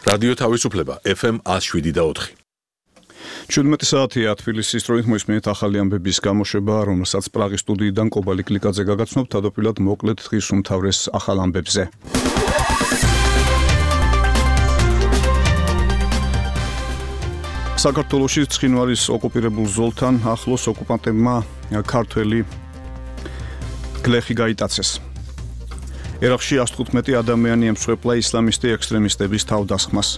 რადიო თავისუფლება FM 107.4. 17 საათია თბილისის დროით მოისმინეთ ახალი ამბების გამოშვება, რომელსაც პრაღის სტუდიიდან კობალი კლიკაძე გაგაცნობთ, თავდაპირველად მოკლედ დღის უმთავრეს ახალ ამბებზე. საქართველოში ცხინვალის ოკუპირებულ ზოლთან ახლოს ოკუპანტებმა ქართველი გლეხი გაიტაცეს. ერაყში 115 ადამიანი ემსხვერპლა ისლამისტი ექსტრემისტების თავდასხმას.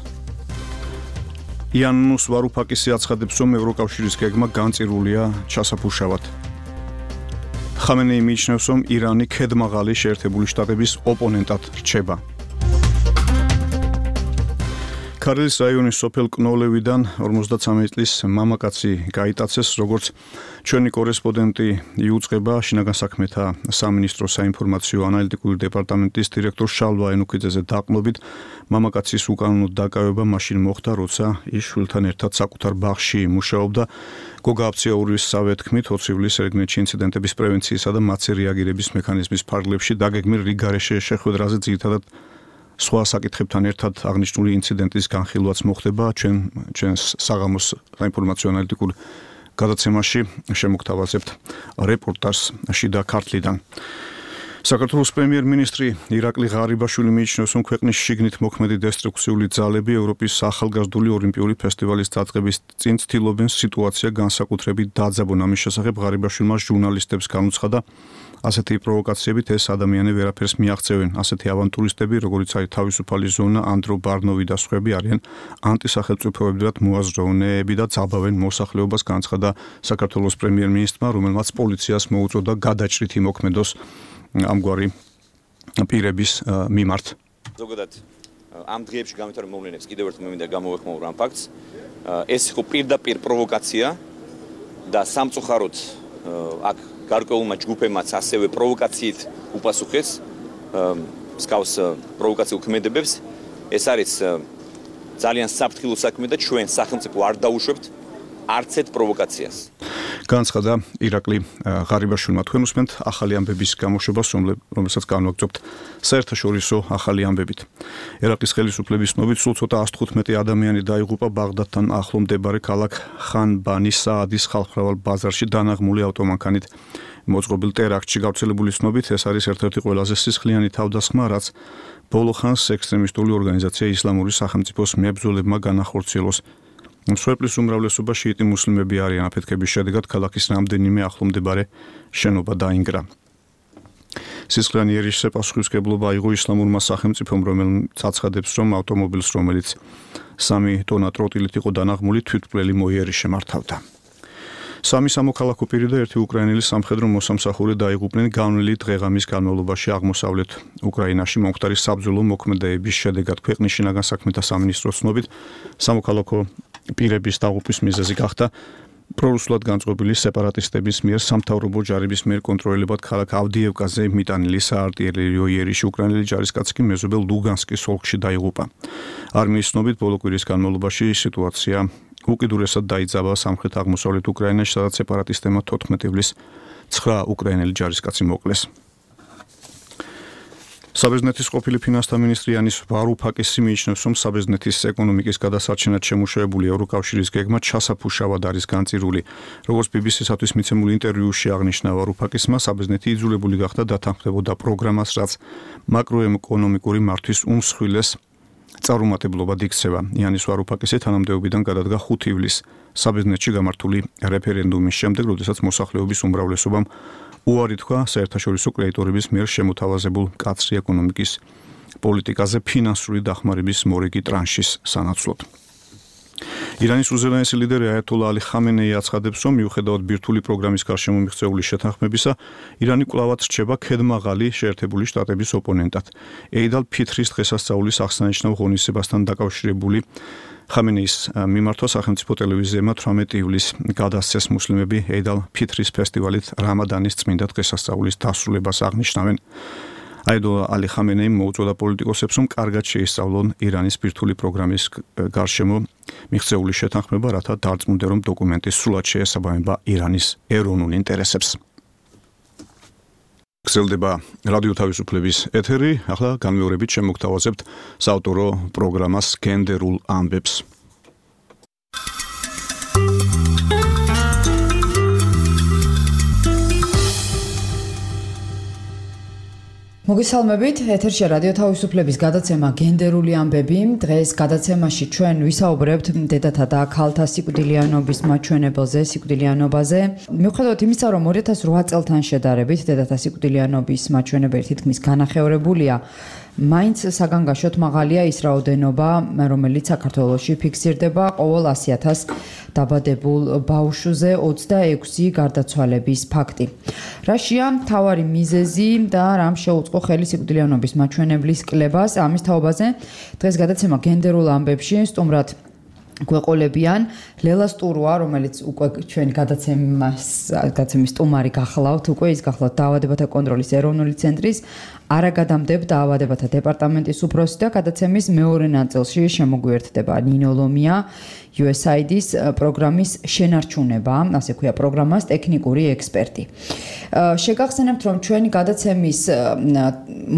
იანუს ვარუფაკისი აცხადებს, რომ ევროკავშირის გეგმა განწირულია ჩასაფუშავად. ხამენეი მიიჩნევს, რომ ირანი ქედმაღალი შეერთებული შტატების ოპონენტად რჩება. ქარელის რაიონის სოფელ კნოლევიდან 53 წლის მამაკაცი გაიტაცეს, როგორც ჩვენი კორესპონდენტი იუწყება შინაგან საქმეთა სამინისტროს საინფორმაციო ანალიტიკური დეპარტამენტის დირექტორ შალვა ენუქიძეზე დაყრდნობით, მამაკაცის უკანონო დაკავება მაშინ მოხდა, როცა ის შვილთან ერთად საკუთარ ბაღში მუშაობდა. გოგა აფციაურისსავე თქმით, 20 ივლისს ერგნეთში ინციდენტების პრევენციისა და მათზე რეაგირების მექანიზმის ფარგლებში დაგეგმილ რიგარეშე შეხვედრაზე ძირითადად სხვა საკითხებთან ერთად აღნიშნული ინციდენტის განხილვაც მოხდება. ჩვენს საღამოს საინფორმაციო ანალიტიკურ გადაცემაში შემოგთავაზებთ რეპორტაჟს შიდა ქართლიდან. საქართველოს პრემიერ-მინისტრი ირაკლი ღარიბაშვილი მიიჩნევს, რომ ქვეყნის შიგნით მოქმედი დესტრუქციული ძალები ევროპის ახალგაზრდული ოლიმპიური ფესტივალის დაწყების წინ ცდილობენ სიტუაცია განსაკუთრებით დაძაბონ. ამის შესახებ ღარიბაშვილმა ჟურნალისტებს განუცხადა, ასეთი პროვოკაციებით ეს ადამიანები ვერაფერს მიაღწევენ. ასეთი ავანტურისტები, როგორიც არის თავისუფალი ზონა, ანდრო ბარნოვი და სხვები არიან ანტისახელმწიფოებრივად მოაზროვნეები და ძაბავენ მოსახლეობას, განცხადა საქართველოს პრემიერ-მინისტრმა, რომელმაც პოლიციას მოუწოდა გადაჭრით იმოქმედოს ამგვარი პირების მიმართ. ზოგადად ამ დღეებში გამეთვალე მოვლენებს კიდევ ერთხელ მე მინდა გამოვეხმაურო ამ ფაქტს. ეს იყო პირდაპირ პროვოკაცია და სამწუხაროდ აქ გარკვეულმა ჯგუფებმაც ასევე პროვოკაციით უპასუხეს მსგავს პროვოკაციულ ქმედებებს. ეს არის ძალიან საფრთხილო საქმე და ჩვენ სახელმწიფო არ დაუშვებთ არც ერთ პროვოკაციას. განცხადა ირაკლი ღარიბაშვილმა. თქვენ უსმენთ ახალი ამბების გამოშვებას, რომელსაც განვაგრძობთ საერთაშორისო ახალი ამბებით. ერაყის ხელისუფლების ცნობით სულ ცოტა 115 ადამიანი დაიღუპა ბაღდადთან ახლო მდებარე ქალაქ ხან-ბანის საადის ხალხმრავალ ბაზარში დანაღმული ავტომანქანით მოწყობილ ტერაქტში. გავრცელებული ცნობით ეს არის ერთ-ერთი ყველაზე სისხლიანი თავდასხმა, რაც ბოლო ხანს ექსტრემისტული ორგანიზაცია ისლამური სახელმწიფოს მებრძოლებმა განახორციელოს. მსხვერპლის უმრავლესობა შიიტი მუსლიმები არიან. აფეთქების შედეგად ქალაქის რამდენიმე ახლო მდებარე შენობა დაინგრა. სისხლიანი იერიშზე პასუხისმგებლობა აიღო ისლამურმა სახელმწიფომ, რომელიც აცხადებს, რომ ავტომობილს, რომელიც 3 ტონა ტროტილით იყო დანაღმული, თვითმკვლელი მოიერიშე მართავდა. 3 სამოქალაქო პირი და 1 უკრაინელი სამხედრო მოსამსახური დაიღუპნენ განვლილი დღეღამის განმავლობაში აღმოსავლეთ უკრაინაში მომხდარი საბრძოლო მოქმედებების შედეგად. ქვეყნის შინაგან საქმეთა სამინისტროს ცნობით, სამოქალაქო პირების დაღუპვის მიზეზი გახდა პრორუსულად განწყობილი სეპარატისტების მიერ სამთავრობო ჯარების მიერ კონტროლირებად ქალაქ ავდიევკაზე მიტანილი საარტილერიო იერიში. უკრაინელი ჯარისკაცი კი მეზობელ ლუგანსკის ოლქში დაიღუპა. არმიის ცნობით, ბოლო კვირის განმავლობაში სიტუაცია უკიდურესად დაიძაბა სამხრეთ აღმოსავლეთ უკრაინაში, სადაც სეპარატისტებმა 14 ივლისს 9 უკრაინელი ჯარისკაცი მოკლეს. საბერძნეთის ყოფილი ფინანსთა მინისტრი იანუს ვარუფაკისი მიიჩნევს, რომ საბერძნეთის ეკონომიკის გადასარჩენად შემუშავებული ევროკავშირის გეგმა ჩასაფუშავად არის განწირული. როგორც BBC-სათვის მიცემულ ინტერვიუში აღნიშნა ვარუფაკისმა, საბერძნეთი იძულებული გახდა დათანხმდებოდა პროგრამას, რაც მაკროეკონომიკური მართვის უმსხვილეს წარუმატებლობად იქცევა. იანუს ვარუფაკისი თანამდებობიდან გადადგა 5 ივლისს საბერძნეთში გამართული რეფერენდუმის შემდეგ, როდესაც მოსახლეობის უმრავლესობამ უარი თქვა საერთაშორისო კრედიტორების მიერ შემოთავაზებულ მკაცრი ეკონომიკის პოლიტიკაზე ფინანსური დახმარების მორიგი ტრანშის სანაცვლოდ. ირანის უზენაესი ლიდერი აიათოლა ალი ხამენეი აცხადებს, რომ მიუხედავად ბირთვული პროგრამის გარშემო მიღწეული შეთანხმებისა, ირანი კვლავაც რჩება ქედმაღალი შეერთებული შტატების ოპონენტად. ეიდ ალ-ფიტრის დღესასწაულის აღსანიშნავ ღონისძიებასთან დაკავშირებული ხამენეის მიმართვა სახელმწიფო ტელევიზიებმა 18 ივლისს გადასცეს მუსლიმები ეიდ ალ-ფიტრის ფესტივალით რამადანის წმინდა დღესასწაულის დასრულებას აღნიშნავენ. აიათოლა ალი ხამენეიმ მოუწოდა პოლიტიკოსებს, რომ კარგად შეისწავლონ ირანის ბირთვული პროგრამის გარშემო მიღწეული შეთანხმება, რათა დარწმუნდნენ, რომ დოკუმენტი სრულად შეესაბამება ირანის ეროვნულ ინტერესებს. გრძელდება რადიო თავისუფლების ეთერი, ახლა განმეორებით შემოგთავაზებთ საავტორო პროგრამას გენდერულ ამბებს. მოგესალმებით, ეთერში რადიო თავისუფლების გადაცემა გენდერული ამბები. დღეს გადაცემაში ჩვენ ვისაუბრებთ დედათა და ქალთა სიკვდილიანობის მაჩვენებელზე, სიკვდილიანობაზე. მიუხედავად იმისა, რომ 2008 წელთან შედარებით დედათა სიკვდილიანობის მაჩვენებელი თითქმის განახევრებულია, მაინც საგანგაშოდ მაღალია ის რაოდენობა, რომელიც საქართველოში ფიქსირდება ყოველ 100,000 დაბადებულ ბავშვზე 26 გარდაცვალების ფაქტი. რაშია მთავარი მიზეზი და რამ შეუწყო ხელი სიკვდილიანობის მაჩვენებლის კლებას? ამის თაობაზე დღეს გადაცემა გენდერულ ამბებში სტუმრად გვეყოლებიან ლელა სტურვა, რომელიც უკვე ჩვენი გადაცემის სტუმარი გახლავთ, უკვე ის გახლავთ დაავადებათა კონტროლის ეროვნული ცენტრის არაგადამდებ დაავადებათა დეპარტამენტის უფროსი და გადაცემის მეორე ნაწილში შემოგვიერთდება ნინო ლომია, USAID-ის პროგრამის შენარჩუნება, ასე ქვია პროგრამას ტექნიკური ექსპერტი. შეგახსენებთ, რომ ჩვენი გადაცემის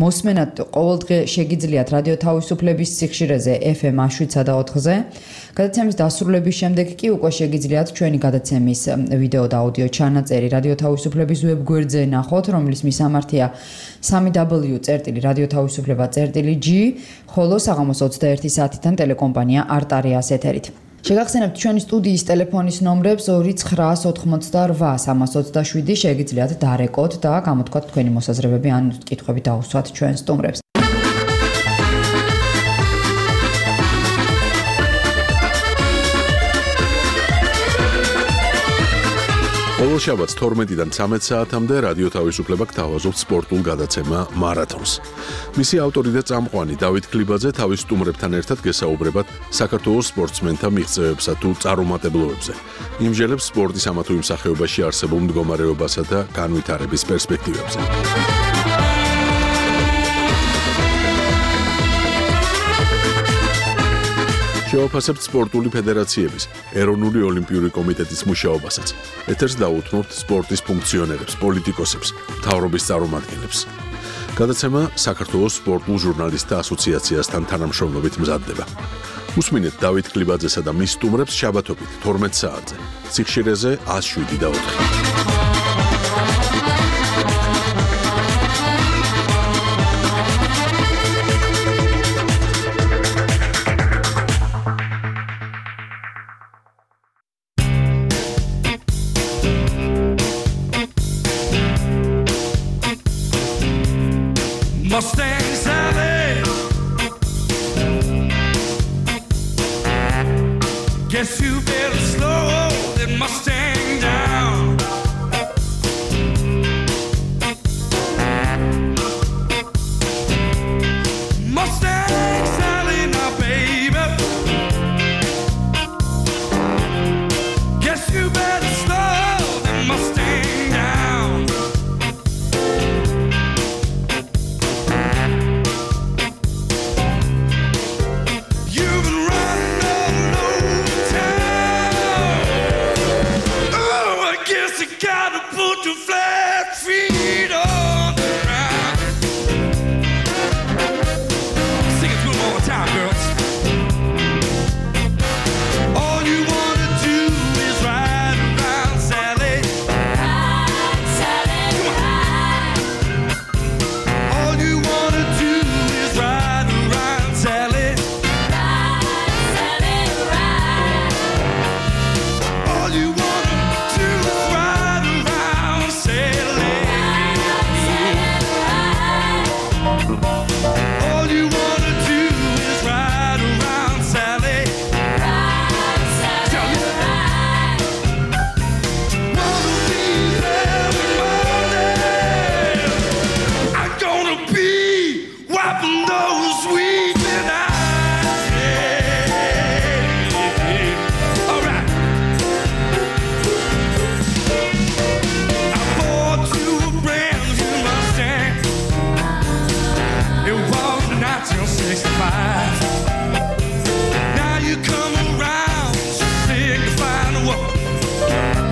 მოსმენად ყოველდღე შეგიძლიათ რადიო თავისუფლების სიხშირეზე FM 7/4-ზე. გადაცემის დასრულების შემდეგ კი უკვე შეგიძლიათ ჩვენი გადაცემის ვიდეო და აუდიო ჩანაწერი რადიო თავისუფლების ვებგვერდზე ნახოთ, რომლის მისამართია www.radiotavisufleba.g, ხოლო საღამოს 21 საათიდან ტელეკომპანია არტარიას ეთერით. შეგახსენებთ ჩვენი სტუდიის ტელეფონის ნომრებს 2988-327 შეგიძლიათ დარეკოთ და გამოთქვათ თქვენი მოსაზრებები ან კითხვები დაუსვათ ჩვენ სტუმრებს. ყოველ შაბათს 12-დან 13 საათამდე რადიო თავისუფლება გთავაზობთ სპორტულ გადაცემა მარათონს. მისი ავტორი და წამყვანი დავით ქლიბაძე თავის სტუმრებთან ერთად გესაუბრებათ საქართველოს სპორტსმენთა მიღწევებსა თუ წარუმატებლობებზე. იმჟელებს სპორტის ამა თუ იმ სახეობაში არსებულ მდგომარეობასა და განვითარების პერსპექტივებზე. შევაფასებთ სპორტული ფედერაციების, ეროვნული ოლიმპიური კომიტეტის მუშაობასაც. ეთერს დაუთმობთ სპორტის ფუნქციონერებს, პოლიტიკოსებს, მთავრობის წარმომადგენლებს. გადაცემა საქართველოს სპორტულ ჟურნალისტთა ასოციაციასთან თანამშრომლობით მზადდება. უსმინეთ დავით ქლიბაძესა და მის სტუმრებს შაბათობით 12 საათზე. სიხშირეზე 107/4. Mustang Sally, guess you better slow that Mustang down. Mustang Sally, now baby, guess you better slow that Mustang down.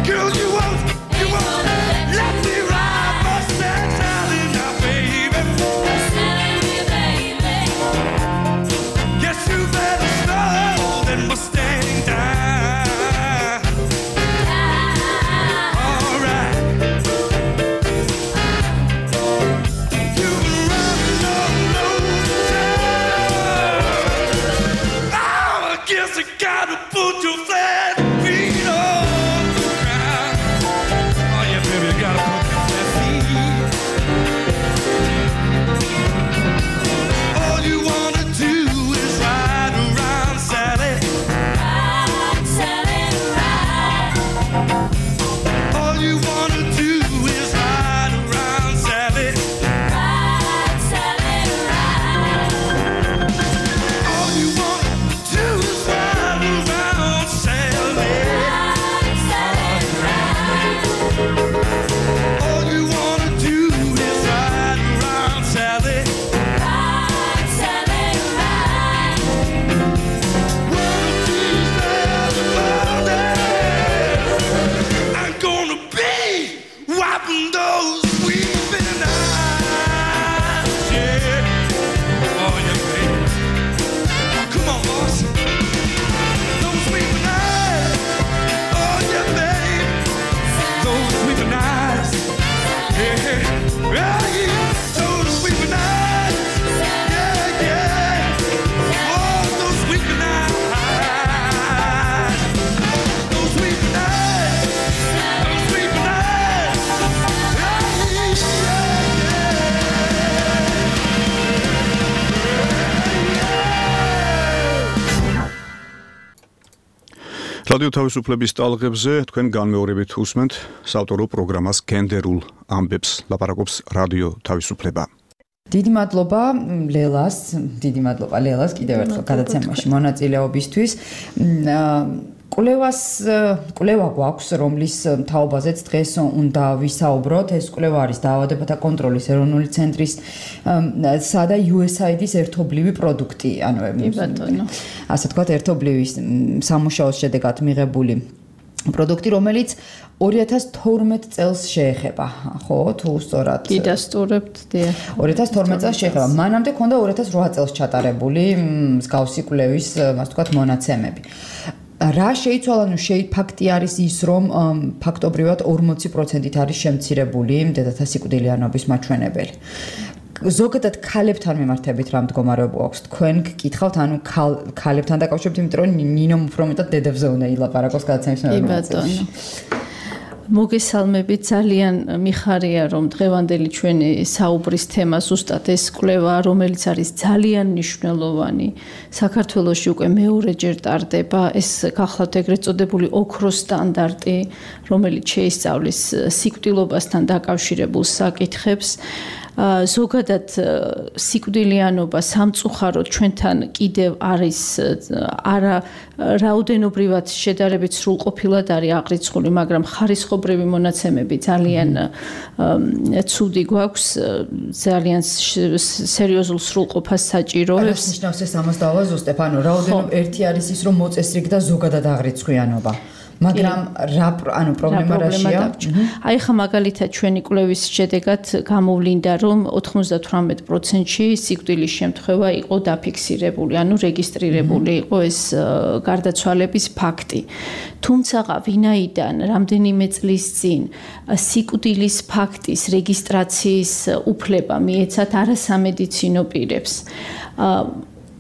Girl, you won't let me ride Mustang Sally. რადიო თავისუფლების ტალღებზე თქვენ განმეორებით უსმენთ საავტორო პროგრამას გენდერულ ამბებს ლაპარაკობს რადიო თავისუფლება. დიდი მადლობა ლელას კიდევ ერთხელ გადაცემაში მონაწილეობისთვის. კვლევა გვაქვს, რომლის თაობაზეც დღეს უნდა ვისაუბროთ. ეს კვლევა არის დაავადებათა კონტროლის ეროვნული ცენტრის და USAID-ის ერთობლივი პროდუქტი, ანუ ასე ვთქვათ, ერთობლივი სამუშაოს შედეგად მიღებული პროდუქტი, რომელიც 2012 წელს შეეხება, ხო, თუ სწორად გიდასტურებთ, დიახ. 2012 წელს შეეხება. მანამდე ქონდა 2008 წელს ჩატარებული მსგავსი კვლევის, ასე ვთქვათ, მონაცემები. რა შეიცვალა, ფაქტი არის ის, რომ ფაქტობრივად 40%-ით არის შემცირებული დედათა სიკვდილიანობის მაჩვენებელი. ზოგადად ქალებთან მიმართებით რა მდგომარეობა აქვს? თქვენ გკითხავთ, ანუ ქალებთან დაკავშირებით, იმიტომ რომ ნინომ უფრო მეტად დედებზე უნდა ილაპარაკოს გადაცემის ბატონო. მოგესალმებით, ძალიან მიხარია, რომ დღევანდელი ჩვენი საუბრის თემა ზუსტად ეს კვლევა, რომელიც არის ძალიან მნიშვნელოვანი. საქართველოში უკვე მეორეჯერ ტარდება ეს გახლავთ ეგრეთ წოდებული ოქროს სტანდარტი, რომელიც შეისწავლის სიკვდილობასთან დაკავშირებულ საკითხებს. ზოგადად სიკვდილიანობა სამწუხაროდ ჩვენთან კიდევ არის არა რაოდენობრივად შედარებით სრულყოფილად არის აღრიცხული, მაგრამ ხარისხობრივი მონაცემები ძალიან ცუდი გვაქვს, ძალიან სერიოზულ სრულყოფას საჭიროებს. ეს ნიშნავს ეს ამას დავაზუსტებ, ანუ რაოდენობა ერთი არის ის, რომ მოწესრიგდა ზოგადად აღრიცხვიანობა. მაგრამ ანუ პრობლემა რაშია? აი ხა მაგალითად ჩვენი კვლევის შედეგად გამოვლინდა, რომ 98%-ში სიკვდილის შემთხვევა იყო დაფიქსირებული, ანუ რეგისტრირებული იყო ეს გარდაცვალების ფაქტი. თუმცა ვინაიდან რამდენიმე წლის წინ სიკვდილის ფაქტის რეგისტრაციის უფლება მიეცათ არასამედიცინო პირებს,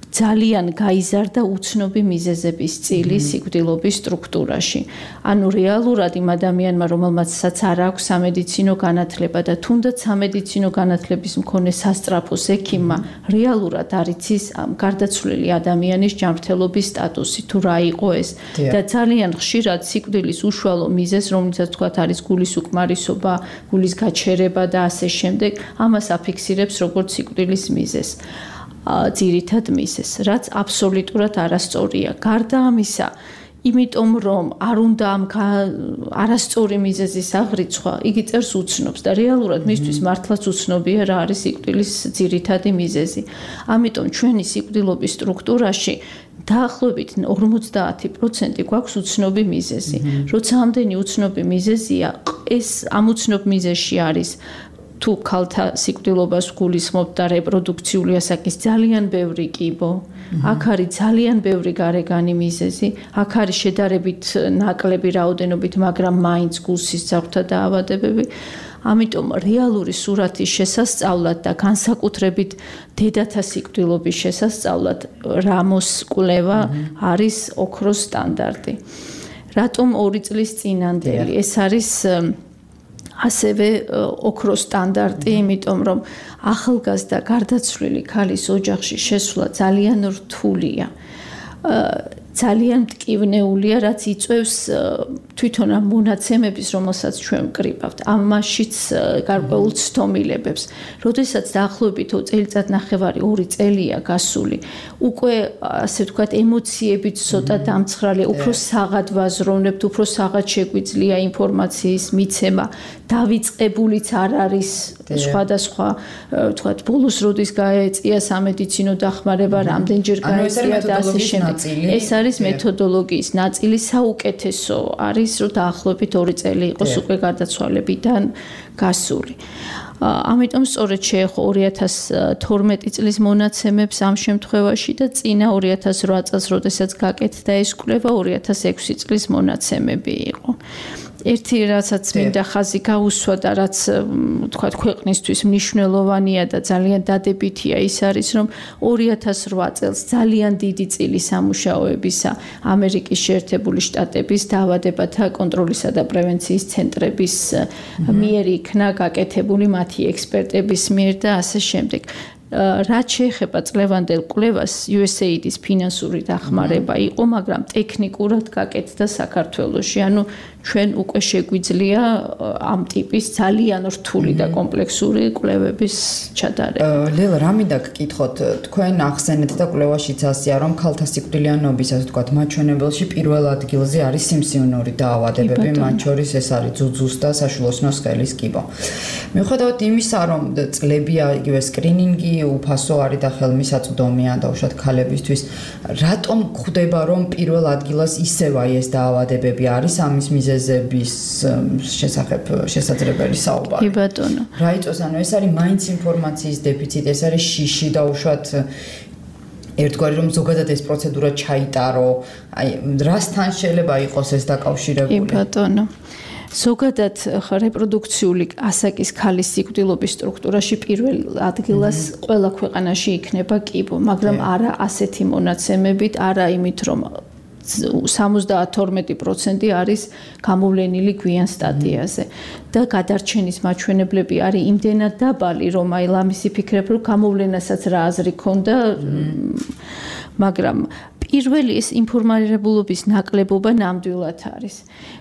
ძალიან გაიზარდა უცნობი მიზეზების წილი სიკვდილობის სტრუქტურაში. ანუ რეალურად იმ ადამიანმა, რომელმაცაც არ აქვს სამედიცინო განათლება და თუნდაც სამედიცინო განათლების მქონე სასწრაფოს ექიმმა, რეალურად არ იცის ამ გარდაცვლილი ადამიანის ჯანმრთელობის სტატუსი, თუ რა იყო ეს. და ძალიან ხშირად სიკვდილის უშუალო მიზეზ, რომელსაც თქვათ არის გულის უკმარისობა, გულის გაჩერება და ასე შემდეგ, ამას აფიქსირებს როგორც სიკვდილის მიზეზს. ძირითად მიზეზს, რაც აბსოლუტურად არასწორია. გარდა ამისა, იმიტომ რომ არ უნდა ამ არასწორი მიზეზის აღრიცხვა, იგი წერს უცნობს და რეალურად მისთვის მართლაც უცნობია რა არის სიკვდილის ძირითადი მიზეზი. ამიტომ ჩვენი სიკვდილობის სტრუქტურაში დაახლოებით 50% გვაქვს უცნობი მიზეზი. როცა ამდენი უცნობი მიზეზია, ეს ამ უცნობ მიზეზში არის თუ ქალთა სიკვდილობას გულისხმობთ და რეპროდუქციული ასაკის ძალიან ბევრი კიბო, აქ არის ძალიან ბევრი გარეგანი მიზეზი, აქ არის შედარებით ნაკლები რაოდენობით, მაგრამ მაინც გულსისძავრთა დაავადებები. ამიტომ რეალური სურათის შესასწავლად და განსაკუთრებით დედათა სიკვდილობის შესასწავლად რამოს კვლევა არის ოქროს სტანდარტი. რატომ 2 წლის წინანდელი? ეს არის ასევე ოქროს სტანდარტი, იმიტომ რომ ახალგაზრდა გარდაცვლილი ქალის ოჯახში შესვლა ძალიან რთულია. ძალიან მტკივნეულია, რაც იწვევს თვითონ ამ მონაცემების, რომელსაც ჩვენ ვკრიბავთ, ამაშიც გარკვეულ ცდომილებებს. როდესაც დაახლოებით წელიწადნახევარი 2 წელია გასული, უკვე ასე ვთქვათ, ემოციებით ცოტა დამცხრალია, უფრო საღად ვაზროვნებთ, უფრო საღად შეგვიძლია ინფორმაციის მიცემა, დავიწყებულიც არ არის სხვადასხვა, ვთქვათ, ბოლოს როდის გაეწია სამედიცინო დახმარება, რამდენჯერ გაეწია და ასე შემდეგ. ეს არის მეთოდოლოგიის ნაწილი, საუკეთესო არის, რომ დაახლოებით 2 წელი იყოს უკვე გარდაცვალებიდან გასული. ამიტომ სწორედ შეეხო 2012 წლის მონაცემებს ამ შემთხვევაში და წინა 2008 წელს, როდესაც გაკეთდა ეს კვლევა, 2006 წლის მონაცემები იყო. ერთი რასაც მინდა ხაზი გაუსვა და რაც თქვათ ქვეყნისთვის მნიშვნელოვანია და ძალიან დადებითია ის არის, რომ 2008 წელს ძალიან დიდი წილი სამუშაოებისა ამერიკის შეერთებული შტატების დაავადებათა კონტროლისა და პრევენციის ცენტრების მიერ იქნა გაკეთებული მათი ექსპერტების მიერ და ასე შემდეგ. რაც შეეხება წლევანდელ კვლევას, USAID-ის ფინანსური დახმარება იყო, მაგრამ ტექნიკურად გაკეთდა საქართველოში. ანუ ჩვენ უკვე შეგვიძლია ამ ტიპის ძალიან რთული და კომპლექსური კვლევების ჩატარება. ლელა, რა მინდა გკითხოთ, თქვენ ახსენეთ და კვლევაშიც ასეა, რომ ქალთა სიკვდილიანობის, ასე ვთქვათ, მაჩვენებელში პირველ ადგილზე არის სიმსივნური დაავადებები, მათ შორის ეს არის ძუძუს და საშვილოსნოს სხელის კიბო. მიუხედავად იმისა, რომ წლებია იგივე სკრინინგი უფასო არის და ხელმისაწვდომია დაუშვათ ქალებისთვის, რატომ გვხვდება, რომ პირველ ადგილას ისევ აი ეს დაავადებები არის ამის მიზეზების შესახებ შესაძლებელი საუბარი? კი ბატონო. რა იწვევს, ანუ ეს არის მაინც ინფორმაციის დეფიციტი, ეს არის შიში დაუშვათ ერთგვარი რომ ზოგადად ეს პროცედურა ჩაიტარო, აი რასთან შეიძლება იყოს ეს დაკავშირებული? კი ბატონო. ზოგადად რეპროდუქციული ასაკის ქალის სიკვდილობის სტრუქტურაში პირველ ადგილას ყველა ქვეყანაში იქნება კიბო, მაგრამ არა ასეთი მონაცემებით, არა იმით, რომ 72% არის გამოვლენილი გვიან სტადიაზე და გადარჩენის მაჩვენებლები არის იმდენად დაბალი, რომ აი ლამისი ფიქრებ, რომ გამოვლენასაც რა აზრი ქონდა, მაგრამ პირველი ეს ინფორმირებულობის ნაკლებობა ნამდვილად არის.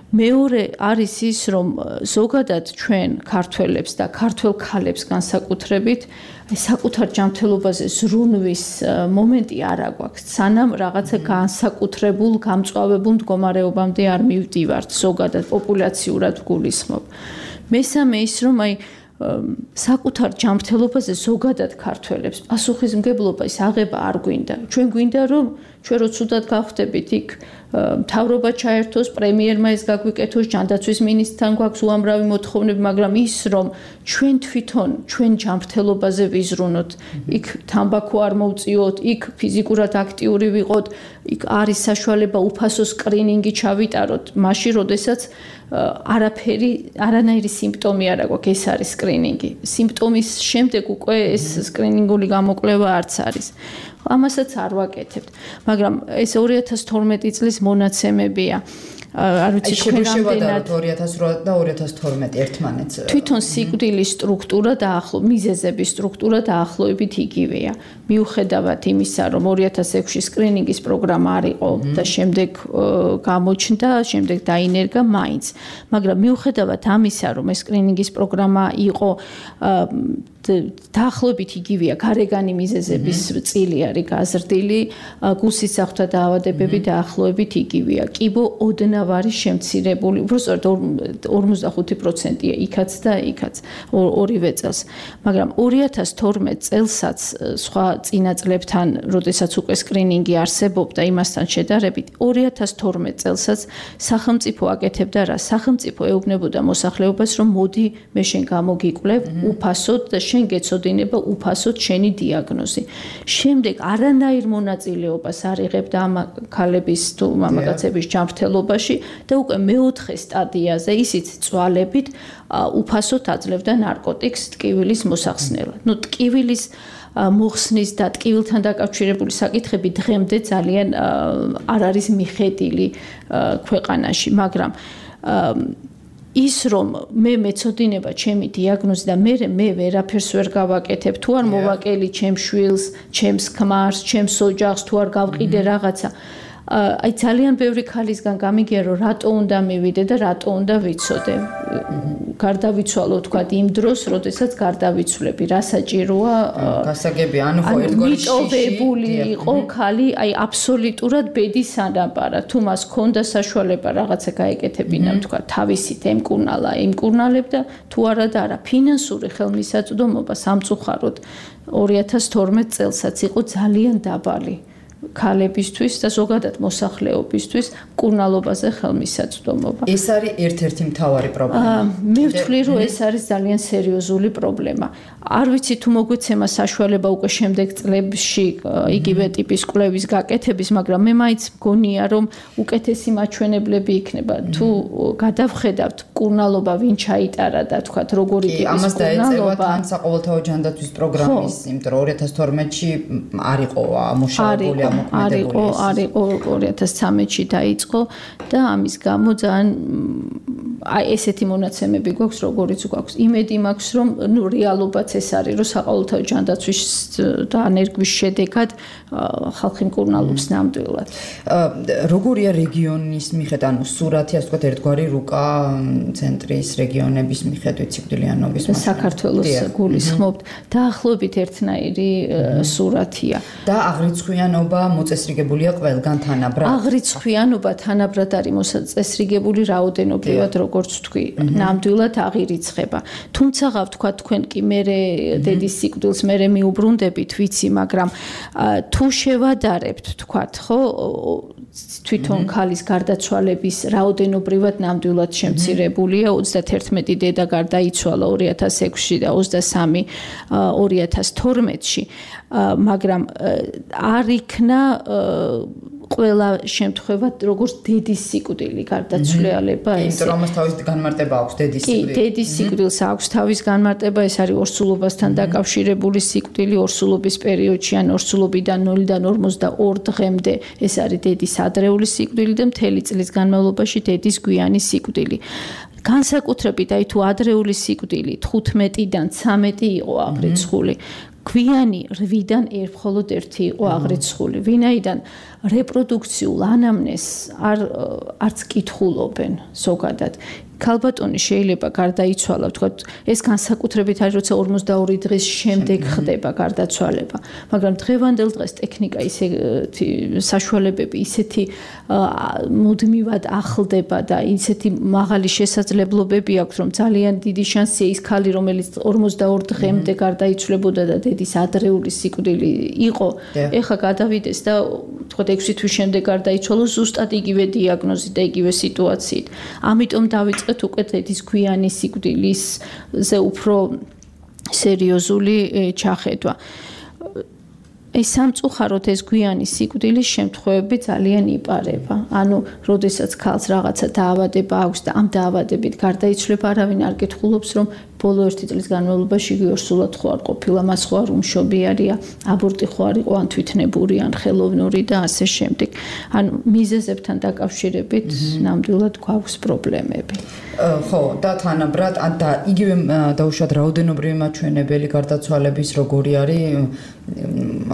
მეორე არის ის, რომ ზოგადად ჩვენ ქართველებს და ქართველ ქალებს განსაკუთრებით საკუთარ ჯანმრთელობაზე ზრუნვის მომენტი არ აგვაქვს. სანამ რაღაცა განსაკუთრებულ, გამწვავებულ მდგომარეობამდე არ მივდივართ, ზოგადად პოპულაციურად ვგულისხმობ. მესამე ის, რომ აი საკუთარ ჯანმრთელობაზე ზოგადად ქართველებს პასუხისმგებლობა ის აღება არ გვინდა. ჩვენ გვინდა რომ ჩვენ რო ცუდად გავხდებით იქ მთავრობა ჩაერთოს, პრემიერმა ეს გაგვიკეთოს, ჯანდაცვის მინისტრთან გვაქვს უამრავი მოთხოვნები, მაგრამ ის რომ ჩვენ თვითონ ჩვენ ჯანმრთელობაზე ვიზრუნოთ, იქ თამბაქო არ მოვწიოთ, იქ ფიზიკურად აქტიური ვიყოთ, იქ არის საშუალება უფასო სკრინინგი ჩავიტაროთ, მაშინ როდესაც არანაირი სიმპტომი არ აქვს, ეს არის სკრინინგი. სიმპტომის შემდეგ უკვე ეს სკრინინგული გამოკვლევა არც არის. ამასაც არ ვაკეთებთ, მაგრამ ეს 2012 წლის მონაცემებია. არ ვიცი თქვენ რამდენად 2008 და 2012 ერთმანეთს. თვითონ სიკვდილის სტრუქტურა და მიზეზების სტრუქტურა დაახლოებით იგივეა. მიუხედავად იმისა, რომ 2006-ში სკრინინგის პროგრამა არ იყო და შემდეგ გამოჩნდა, შემდეგ დაინერგა მაინც. მაგრამ მიუხედავად ამისა, რომ ეს სკრინინგის პროგრამა იყო დაახლოებით იგივეა, გარეგანი მიზეზების წილი არის გაზრდილი, გულსისახთა დაავადებები დაახლოებით იგივეა. კიბო ოდნავ არის შემცირებული, უბრალოდ 45%-ია იქაც და იქაც ორივე წელს. მაგრამ 2012 წელსაც სხვა წინა წლებთან, როდესაც უკვე სკრინინგი არსებობდა იმასთან შედარებით, 2012 წელსაც სახელმწიფო აკეთებდა რა? სახელმწიფო ეუბნებოდა მოსახლეობას, რომ მოდი მე შენ გამოგიკვლევ უფასოდ და შენ გეცოდინება უფასოდ შენი დიაგნოზი. შემდეგ არანაირ მონაწილეობას არ იღებდა ამ ქალების თუ მამაკაცების ჯანმრთელობაში და უკვე მეოთხე სტადიაზე ისიც წვალებით უფასოდ აძლევდა ნარკოტიკს ტკივილის მოსახსნელად. ნუ ტკივილის მოხსნის და ტკივილთან დაკავშირებული საკითხები დღემდე ძალიან არ არის მიხედილი ქვეყანაში, მაგრამ ის რომ მე მეცოდინება ჩემი დიაგნოზი და მე ვერაფერს ვერ გავაკეთებ, თუ არ მოვაკელი ჩემს შვილს, ჩემს ქმარს, ჩემს ოჯახს, თუ არ გავყიდე რაღაცა. აი ძალიან ბევრი ქალისგან გამიგია რომ რატო უნდა მივიდე და რატო უნდა ვიცოდე. გარდავიცვალო თქვა იმ დროს, როდესაც გარდავიცვლები, რა საჭიროა? გასაგებია, ანუ ხო ერთგვარი მიტოვებული იყო ქალი, აი აბსოლუტურად ბედის ანაბარა. თუ მას ქონდა საშუალება რაღაცა გაეკეთებინა, თქვა თავისით ემკურნალებდა, თუ არა და არა. ფინანსური ხელმისაწვდომობა სამწუხაროდ 2012 წელსაც იყო ძალიან დაბალი. ქალებისთვის და ზოგადად მოსახლეობისთვის მკურნალობაზე ხელმისაწვდომობა. ეს არის ერთ-ერთი მთავარი პრობლემა. მე ვთვლი, რომ ეს არის ძალიან სერიოზული პრობლემა. არ ვიცი თუ მოგვეცემა საშუალება უკვე შემდეგ წლებში იგივე ტიპის კვლევის გაკეთების, მაგრამ მე მაინც მგონია, რომ უკეთესი მაჩვენებლები იქნება. თუ გადავხედავთ მკურნალობა ვინ ჩაიტარა და თქვათ როგორი ტიპის მკურნალობა. ამას დაეწევა თან საყოველთაო ჯანდაცვის პროგრამის, იმიტომ რომ 2012-ში არ იყო ამუშავებული არისო 2013-ში დაიწყო და ამის გამო ძალიან აი ესეთი მონაცემები გვაქვს, როგორიც გვაქვს. იმედი მაქვს, რომ რეალობაც ეს არის, რომ საყოველთაო ჯანდაცვის და ენერგიის შედეგად ხალხი მკურნალობს ნამდვილად. როგორია რეგიონის მიხედვით, ანუ სურათი, ასე ვთქვათ, ერთგვარი რუკა ცენტრის რეგიონების მიხედვით სიკვდილიანობის საქართველოს გულისხმობთ, დაახლოებით ერთნაირი სურათია. და აღრიცხვიანობა მოწესრიგებულია ყველგან თანაბრად. აღრიცხვიანობა თანაბრად არის მოწესრიგებული რაოდენობრივად, როგორც თქვი, ნამდვილად აღირიცხება. თუმცა ვთქვა თქვენ კი მე დედის სიკვდილს მე მიუბრუნდებით, ვიცი, მაგრამ თუ შევადარებთ, თქვათ, ხო, თვითონ ქალის გარდაცვალების რაოდენობრივად ნამდვილად შემცირებულია. 31 დედა გარდაიცვალა 2006-ში და 23 2012-ში, მაგრამ არ იქნა ყველა შემთხვევა როგორც დედის სიკვდილი გარდაცვლილება ეს. იმიტომ რომ თავის განმარტება აქვს დედის სიკვდილს. კი, დედის სიკვდილს აქვს თავის განმარტება, ეს არის ორსულობასთან დაკავშირებული სიკვდილი ორსულობის პერიოდში ან ორსულობიდან 0-დან 42 დღემდე. ეს არის დედის ადრეული სიკვდილი და მთელი წლის განმავლობაში დედის გვიანი სიკვდილი. განსაკუთრებით აი თუ ადრეული სიკვდილი 15-დან 13 იყო აღრიცხული. გვიანი 8-დან მხოლოდ 1 იყო აღრიცხული. ვინაიდან რეპროდუქციულ ანამნეზს არც კითხულობენ ზოგადად. ქალბატონი შეიძლება გარდაიცვალა, ვთქვათ, ეს განსაკუთრებით არის, როცა 42 დღის შემდეგ ხდება გარდაცვალება. მაგრამ დღევანდელ დღეს ტექნიკა ისეთი საშუალებები ისეთი მუდმივად ახლდება და ისეთი მაღალი შესაძლებლობები აქვს, რომ ძალიან დიდი შანსია ის ქალი, რომელიც 42 დღემდე გარდაიცვლებოდა და დედის ადრეული სიკვდილი იყო, ეხლა გადავიდეს და ვთქვათ 6 თვის შემდეგ გარდაიცვალა ზუსტად იგივე დიაგნოზით და იგივე სიტუაციით. ამიტომ დავიწყეთ უკვე დედის გვიანი სიკვდილისზე უფრო სერიოზული ჩახედვა. ეს სამწუხაროდ ეს გვიანი სიკვდილის შემთხვევები ძალიან იპარება. ანუ, როდესაც ქალს რაღაცა დაავადება აქვს და ამ დაავადებით გარდაიცვლება, არავინ არ კითხულობს, რომ ბოლო 1 წლის განმავლობაში ორსულად ხო არ ყოფილა, მას ხო არ უმშობიარია, აბორტი ხო არ იყო, ან თვითნებური, ან ხელოვნური და ასე შემდეგ. ანუ მიზეზებთან დაკავშირებით ნამდვილად გვაქვს პრობლემები. ხო, და თანაბრად და იგივე დაუშვათ რაოდენობრივი მაჩვენებელი გარდაცვალების როგორი არის,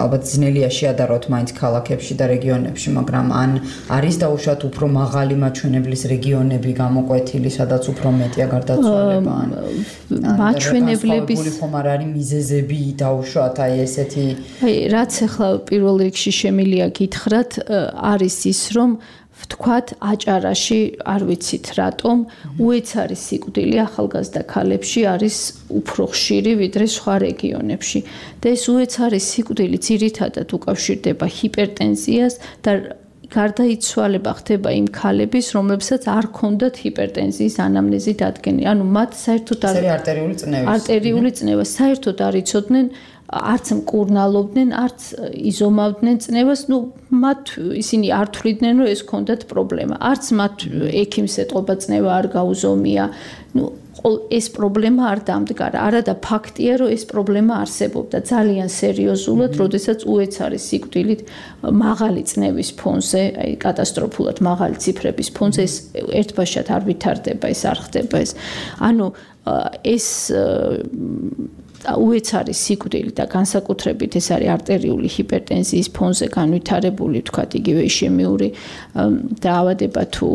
ალბათ ძნელია შეადაროთ მაინც ქალაქებში და რეგიონებში, მაგრამ ან არის დაუშვათ უფრო მაღალი მაჩვენებლის რეგიონები გამოკვეთილი, სადაც უფრო მეტია გარდაცვალება, ან მაჩვენებლების ხომ არ არის მიზეზები დაუშვათ აი ესეთი. აი, რაც ახლა პირველ რიგში შემილია გითხრათ, არის ის, რომ ვთქვათ, აჭარაში, არ ვიცით რატომ, უეცარი სიკვდილი ახალგაზრდა ქალებში არის უფრო ხშირი ვიდრე სხვა რეგიონებში. და ეს უეცარი სიკვდილი ძირითადად უკავშირდება ჰიპერტენზიას და გარდაიცვალება ხდება იმ ქალების, რომლებსაც არ ჰქონდათ ჰიპერტენზიის ანამნეზი დადგენილი. ანუ მათ საერთოდ არტერიული წნევა საერთოდ არ იცოდნენ, არც მკურნალობდნენ, არც იზომავდნენ წნევას, მათ ისინი არ თვლიდნენ, რომ ეს ჰქონდათ პრობლემა. არც მათ ექიმს ეტყობა წნევა არ გაუზომია. ეს პრობლემა არ დამდგარა. არადა ფაქტია, რომ ეს პრობლემა არსებობდა ძალიან სერიოზულად, როდესაც უეცარი სიკვდილით მაღალი წნევის ფონზე, აი კატასტროფულად მაღალი ციფრების ფონზე ეს ერთბაშად არ ვითარდება, ეს არ ხდება ეს. ანუ ეს უეცარი სიკვდილი და განსაკუთრებით ეს არის არტერიული ჰიპერტენზიის ფონზე განვითარებული, თქვათ, იგივე ისემიური დაავადება თუ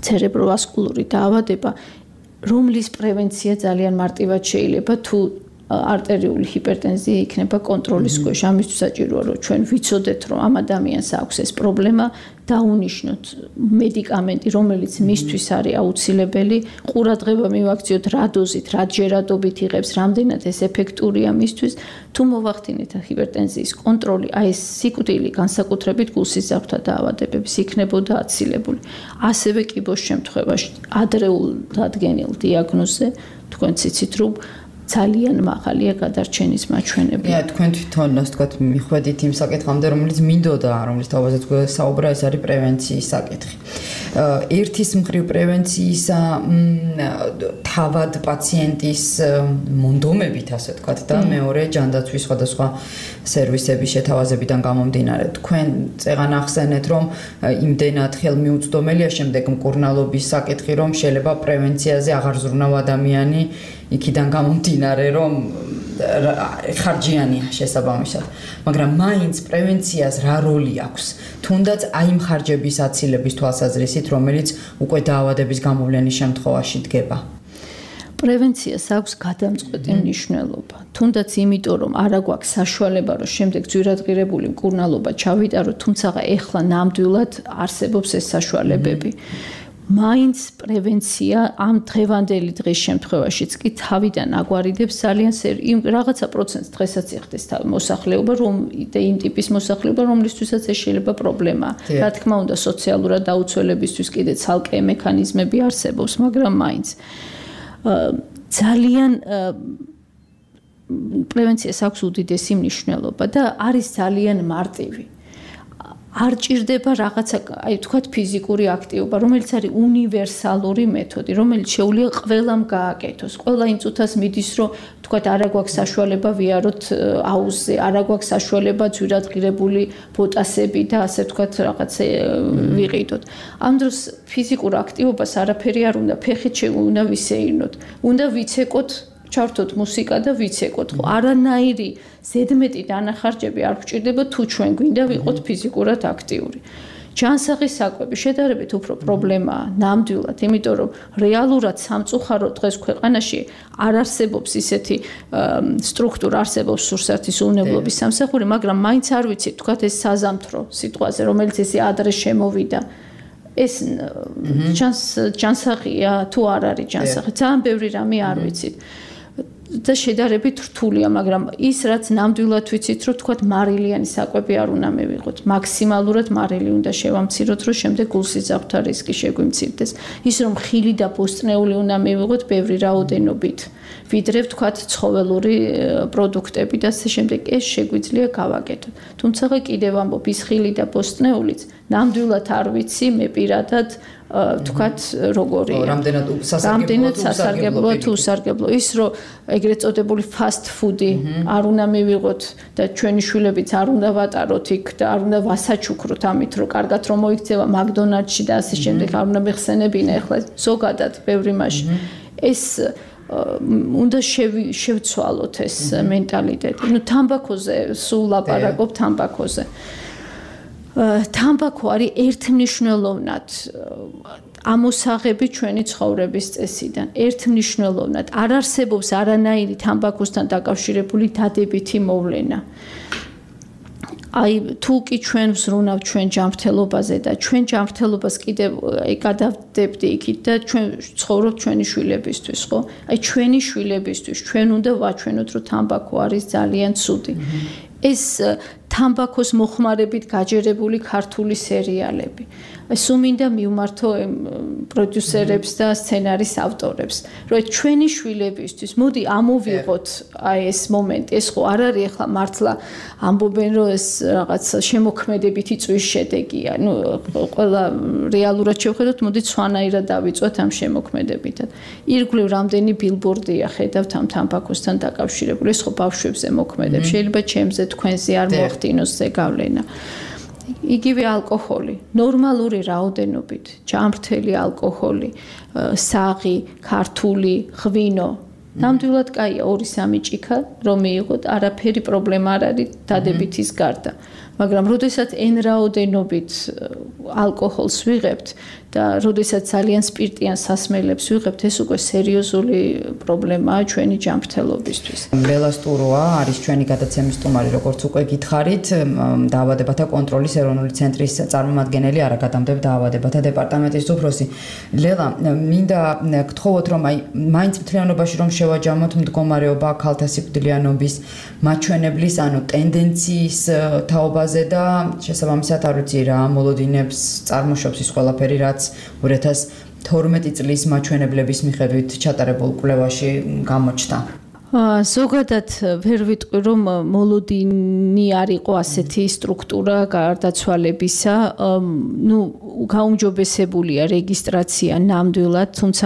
ცერებროვასკულური დაავადება, რომლის პრევენცია ძალიან მარტივად შეიძლება თუ არტერიული ჰიპერტენზია იქნება კონტროლის ქვეშ. ამისთვის საჭიროა, რომ ჩვენ ვიცოდეთ, რომ ამ ადამიანს აქვს ეს პრობლემა, დაუნიშნოთ მედიკამენტი, რომელიც მისთვის არის აუცილებელი, ყურადღება მივაქციოთ რა დოზით, რა ჯერადობით იღებს, რამდენად ეს ეფექტურია მისთვის, თუ მოვახდინეთ ჰიპერტენზიის კონტროლი, აი ეს სიკვდილი განსაკუთრებით გულსისხმთა დაავადებების იქნებოდა აცილებული. ასევე კიბოს შემთხვევაში ადრეულ დადგენილ დიაგნოზზე თქვენ ციცით, რომ ძალიან მაღალია გადარჩენის მაჩვენებლები. თქვენ თვითონ ასე ვთქვათ, მიხვედით იმ საკითხამდე, რომელიც მინდოდა, რომლის თავაზეც საუბრა, ეს არის პრევენციის საკითხი. ერთის მხრივ პრევენციისა თავად პაციენტის მონდომებით, ასე ვთქვათ, და მეორე ჯანდაცვის სხვადასხვა სერვისების შეთავაზებიდან გამომდინარე. თქვენ წეღან ახსენეთ, რომ იმდენად ხელმიუწვდომელია შემდეგ მკურნალობის საკითხი, რომ შეიძლება პრევენციაზე აღარ ზრუნავ ადამიანი იქიდან გამომდინარე, რომ ხარჯიანია შესაბამისად. მაგრამ მაინც პრევენციას რა როლი აქვს? თუნდაც აი იმ ხარჯების აცილების თვალსაზრისით, რომელიც უკვე დაავადების გამოვლენის შემთხვევაში დგება. პრევენციას აქვს გადამწყვეტი მნიშვნელობა. თუნდაც იმიტომ, რომ არა გვაქვს საშუალება, რომ შემდეგ ძვირადღირებული მკურნალობა ჩავიტაროთ, თუმცა ეხლა ნამდვილად არსებობს ეს საშუალებები. მაინც პრევენცია ამ დღევანდელი დღის შემთხვევაშიც კი თავიდან აგვარიდებს ძალიან იმ რაღაცა პროცენტს დღესაც იხდეს მოსახლეობა, რომ იმ ტიპის მოსახლეობა, რომლისთვისაც ეს შეიძლება პრობლემაა. რა თქმა უნდა, სოციალურად დაუცველებისთვის კიდე ცალკე მექანიზმები არსებობს, მაგრამ მაინც ძალიან პრევენციას აქვს უდიდესი მნიშვნელობა და არის ძალიან მარტივი. არ ჭირდება რაღაცა, აი ვთქვათ, ფიზიკური აქტივობა, რომელიც არის უნივერსალური მეთოდი, რომელიც შეუძლია ყველამ გააკეთოს. ყველა იმ წუთას მიდის, რომ ვთქვათ, არა გვაქვს საშუალება ვიაროთ აუზზე, არა გვაქვს საშუალება ძვირადღირებული ბოტასები და ასე ვთქვათ, რაღაცა ვიყიდოთ. ამ დროს ფიზიკურ აქტივობას არაფერი არ უნდა, ფეხით უნდა ვისეირნოთ, უნდა ვიცეკოთ, ჩავთოთ მუსიკა და ვიცეკოთ. ხო, არანაირი ზედმეტი დანახარჯები არ გვჭირდება თუ ჩვენ გვინდა ვიყოთ ფიზიკურად აქტიური. ჯანსაღის საკვები შედარებით უფრო პრობლემაა ნამდვილად, იმიტომ რომ რეალურად სამწუხაროდ დღეს ქვეყანაში არ არსებობს ისეთი სტრუქტურა, არსებობს სურსათის უვნებლობის სამსახური, მაგრამ მაინც არ ვიცით, თქვათ ეს საზამთრო სიტყვაზე, რომელიც ესე ადრე შემოვიდა. ეს ჯანსაღია თუ არ არის ჯანსაღი? ძალიან ბევრი რამე არ ვიცით. და შედარებით რთულია, მაგრამ ის რაც ნამდვილად ვიცით, რომ თქვათ მარილიანი საკვები არ უნდა მივიღოთ. მაქსიმალურად მარილი უნდა შევამციროთ, რომ შემდეგ გულსიზრდათა რისკი შეგვიმცირდეს. ის რომ ხილი და ბოსტნეული უნდა მივიღოთ ბევრი რაოდენობით, ვიდრე ვთქვათ ცხოველური პროდუქტები და ასე შემდეგ, ეს შეგვიძლია გავაკეთოთ. თუმცა კიდევ ამბობ, ის ხილი და ბოსტნეულიც ნამდვილად არ ვიცი, მე პირადად ვთქვათ როგორია. რამდენად სასარგებლოა თუ უსარგებლო. ის რომ ეგრეთ წოდებული fast food-ი არ უნდა მივიღოთ და ჩვენი შვილებიც არ უნდა ვატაროთ იქ და არ უნდა ვასაჩუქროთ ამით, რომ კარგად რომ მოიქცევა მაგდონალდში და ასე შემდეგ, არ უნდა მეხსენებინა ახლა ზოგადად ბევრი მასში. ეს უნდა შევცვალოთ ეს მენტალიტეტი. ნუ თამბაქოზე სულ ლაპარაკობ თამბაქოზე. თამბაქო არის ერთმნიშვნელოვნად ამოსაღები ჩვენი ცხოვრების წესიდან. ერთმმნიშვნელოვნად არ არსებობს არანაირი თამბაქოსთან დაკავშირებული დადებითი მოვლენა. აი თუ კი ჩვენ ვზრუნავთ ჩვენ ჯანმრთელობაზე და ჩვენ ჯანმრთელობას კიდევ გადავდებდი იქით და ჩვენ ცხოვრობთ ჩვენი შვილებისთვის, ხო? აი ჩვენი შვილებისთვის ჩვენ უნდა ვაჩვენოთ, რომ თამბაქო არის ძალიან ცუდი. ეს თამბაქოს მოხმარებით გაჯერებული ქართული სერიალები. სულ მინდა მივმართო პროდიუსერებს და სცენარის ავტორებს, რომ ჩვენი შვილებისთვის მოდი ამოვიღოთ აი ეს მომენტი. ეს ხო არ არის ახლა მართლა ამბობენ, რომ ეს რაღაც შემოქმედებითი წვის შედეგია. ნუ ყველა რეალურად შევხედოთ, მოდი სხვანაირად დავიწყოთ ამ შემოქმედებითად. ირგვლივ რამდენი ბილბორდია ხედავთ ამ თამბაქოსთან დაკავშირებული. ეს ხო ბავშვებზე მოქმედებს. შეიძლება ჩემზე თქვენზე არ მოახდინოს ზეგავლენა. იგივე ალკოჰოლი, ნორმალური რაოდენობით, ჯანმრთელი ალკოჰოლი, საღი, ქართული, ღვინო. ნამდვილად კაია 2-3 ჭიქა რომ მიიღოთ, არაფერი პრობლემა არ არის დადებითის გარდა. მაგრამ როდესაც n რაოდენობით ალკოჰოლს ვიღებთ და როდესაც ძალიან სპირტიან სასმელებს ვიღებთ, ეს უკვე სერიოზული პრობლემაა ჩვენი ჯანმრთელობისთვის. ლელა სტუროა არის ჩვენი გადაცემის სტუმარი, როგორც უკვე გითხარით, დაავადებათა კონტროლის ეროვნული ცენტრის წარმომადგენელი, არაგადამდებთ დაავადებათა დეპარტამენტის უფროსი. ლელა, მინდა გთხოვოთ, რომ აი მაინც მთლიანობაში რომ შევაჯამოთ მდგომარეობა ქალთა სიკვდილიანობის მაჩვენებლის, ანუ ტენდენციის თაობაზე და შესაბამისად არ ვიცი რა მოლოდინებს წარმოშობს ის ყველაფერი, რაც 2012 წლის მაჩვენებლების მიხედვით ჩატარებულ კვლევაში გამოჩნდა. ზოგადად ვერ ვიტყვი რომ მოლოდინი არ იყო ასეთი სტრუქტურა გარდაცვალებისა, გაუმჯობესებულია რეგისტრაცია ნამდვილად, თუმცა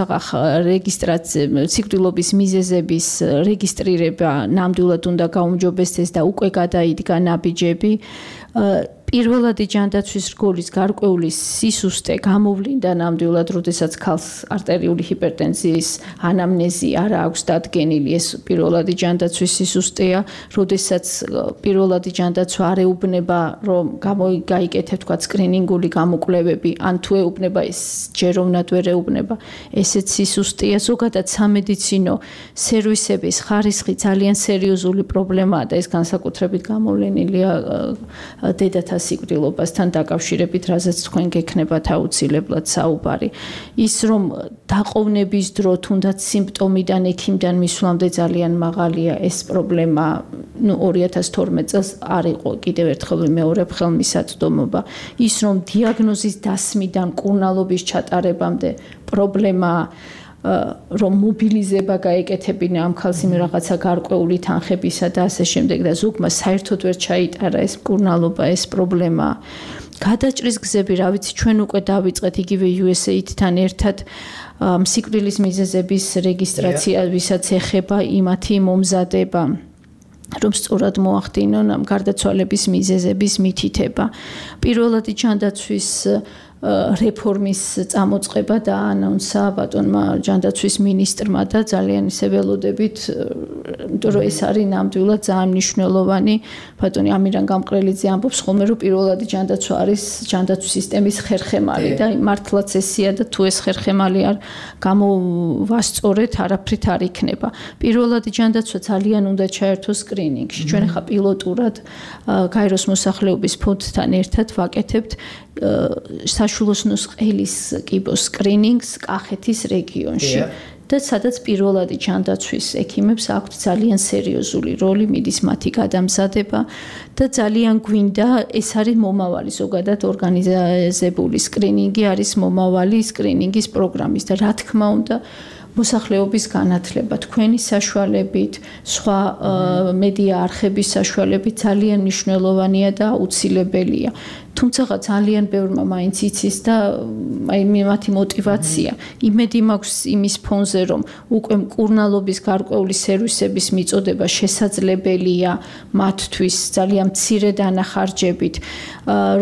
რეგისტრაცია სიკვდილობის მიზეზების რეგისტრირება ნამდვილად უნდა გაუმჯობესდეს და უკვე გადაიდგა ნაბიჯები. პირველადი ჯანდაცვის რგოლის გარკვეული სისუსტე გამოვლინდა ნამდვილად, როდესაც ქალს არტერიული ჰიპერტენზიის ანამნეზი არ აქვს დადგენილი, ეს პირველადი ჯანდაცვის სისუსტეა, როდესაც პირველადი ჯანდაცვა არ ეუბნება, რომ გაიკეთებ თქვა სკრინინგული გამოკვლევები, ან თუ ეუბნება ეს ჯეროვნად ვერ ეუბნება, ესეც სისუსტეა. ზოგადად სამედიცინო სერვისების ხარისხი ძალიან სერიოზული პრობლემაა და ეს განსაკუთრებით გამოვლენილია დედათა სიკვდილობასთან დაკავშირებით, რაზეც თქვენ გექნებათ აუცილებლად საუბარი. ის რომ დაყოვნების დრო თუნდაც სიმპტომიდან ექიმიდან მისვლამდე ძალიან მაღალია, ეს პრობლემა 2012 წელს არ იყო კიდევ ერთხელ მეორე ხელმისაწვდომობა. ის რომ დიაგნოზის დასმიდან კურნალობის ჩატარებამდე პრობლემაა, რომ მობილიზება გაეკეთებინა ამ ქალს იმ რაღაცა გარკვეული თანხებისა და ასე შემდეგ და ზოგმა საერთოდ ვერ ჩაიტარა ეს კურნალობა, ეს პრობლემაა. გადაჭრის გზები, რა ვიცი, ჩვენ უკვე დავიწყეთ იგივე USAID-თან ერთად სიკვდილის მიზეზების რეგისტრაცია, ვისაც ეხება იმათი მომზადება, რომ სწორად მოახდინონ ამ გარდაცვალების მიზეზების მითითება. პირველადი ჯანდაცვის რეფორმის წამოწყება დაანონსა ბატონმა ჯანდაცვის მინისტრმა და ძალიან ისე ველოდებით, იმიტომ რომ ეს არის ნამდვილად ძალიან მნიშვნელოვანი. ბატონი ამირან გამყრელიძე ამბობს ხოლმე, რომ პირველადი ჯანდაცვა არის ჯანდაცვის სისტემის ხერხემალი და მართლაც ესეა და თუ ეს ხერხემალი არ გამოვასწორეთ, არაფრით არ იქნება. პირველადი ჯანდაცვა ძალიან უნდა ჩაერთოს სკრინინგში. ჩვენ ხა პილოტურად გაეროს მოსახლეობის ფონდთან ერთად ვაკეთებთ საშულოსნოს ყელის კიბოს სკრინინგს კახეთის რეგიონში. და სადაც პირველადი ჯანდაცვის ექიმებს აქვთ ძალიან სერიოზული როლი, მიდის მათი გადამზადება და ძალიან გვინდა, ეს არის მომავალი ზოგადად ორგანიზებული სკრინინგი არის მომავალი სკრინინგის პროგრამის და რა თქმა უნდა მოსახლეობის განათლება, თქვენი საშუალებით, სხვა მედია არხების საშუალებით ძალიან მნიშვნელოვანია და აუცილებელია. თუმცა ძალიან ბევრმა მაინც იცის და მათი мотиваცია. იმედი მაქვს იმის ფონზე, რომ უკვე მკურნალობის გარკვეული სერვისების მიწოდება შესაძლებელია მათთვის ძალიან მცირე დანახარჯებით.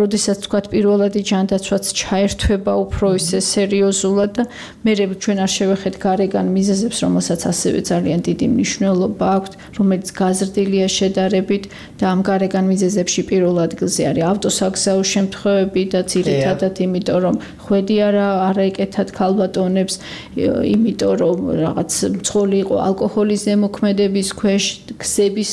როდესაც თქვა პირველადი ჯანდაცვაც ჩაერთვება უფრო ისე სერიოზულად და მე ჩვენ არ შევეხეთ გარეგან მიზეზებს, რომელსაც ასევე ძალიან დიდი მნიშვნელობა აქვს, რომელიც გაზრდილია შედარებით და ამ გარეგან მიზეზებში პირველ ადგილზე არის ავტოსაგზაო შემთხვევები და ძირითადად იმიტომ რომ ხვედი არ ეკეთათ ქალბატონებს, იმიტომ რომ რაღაც მძღოლი იყო ალკოჰოლის ზემოქმედების ქვეშ, გზების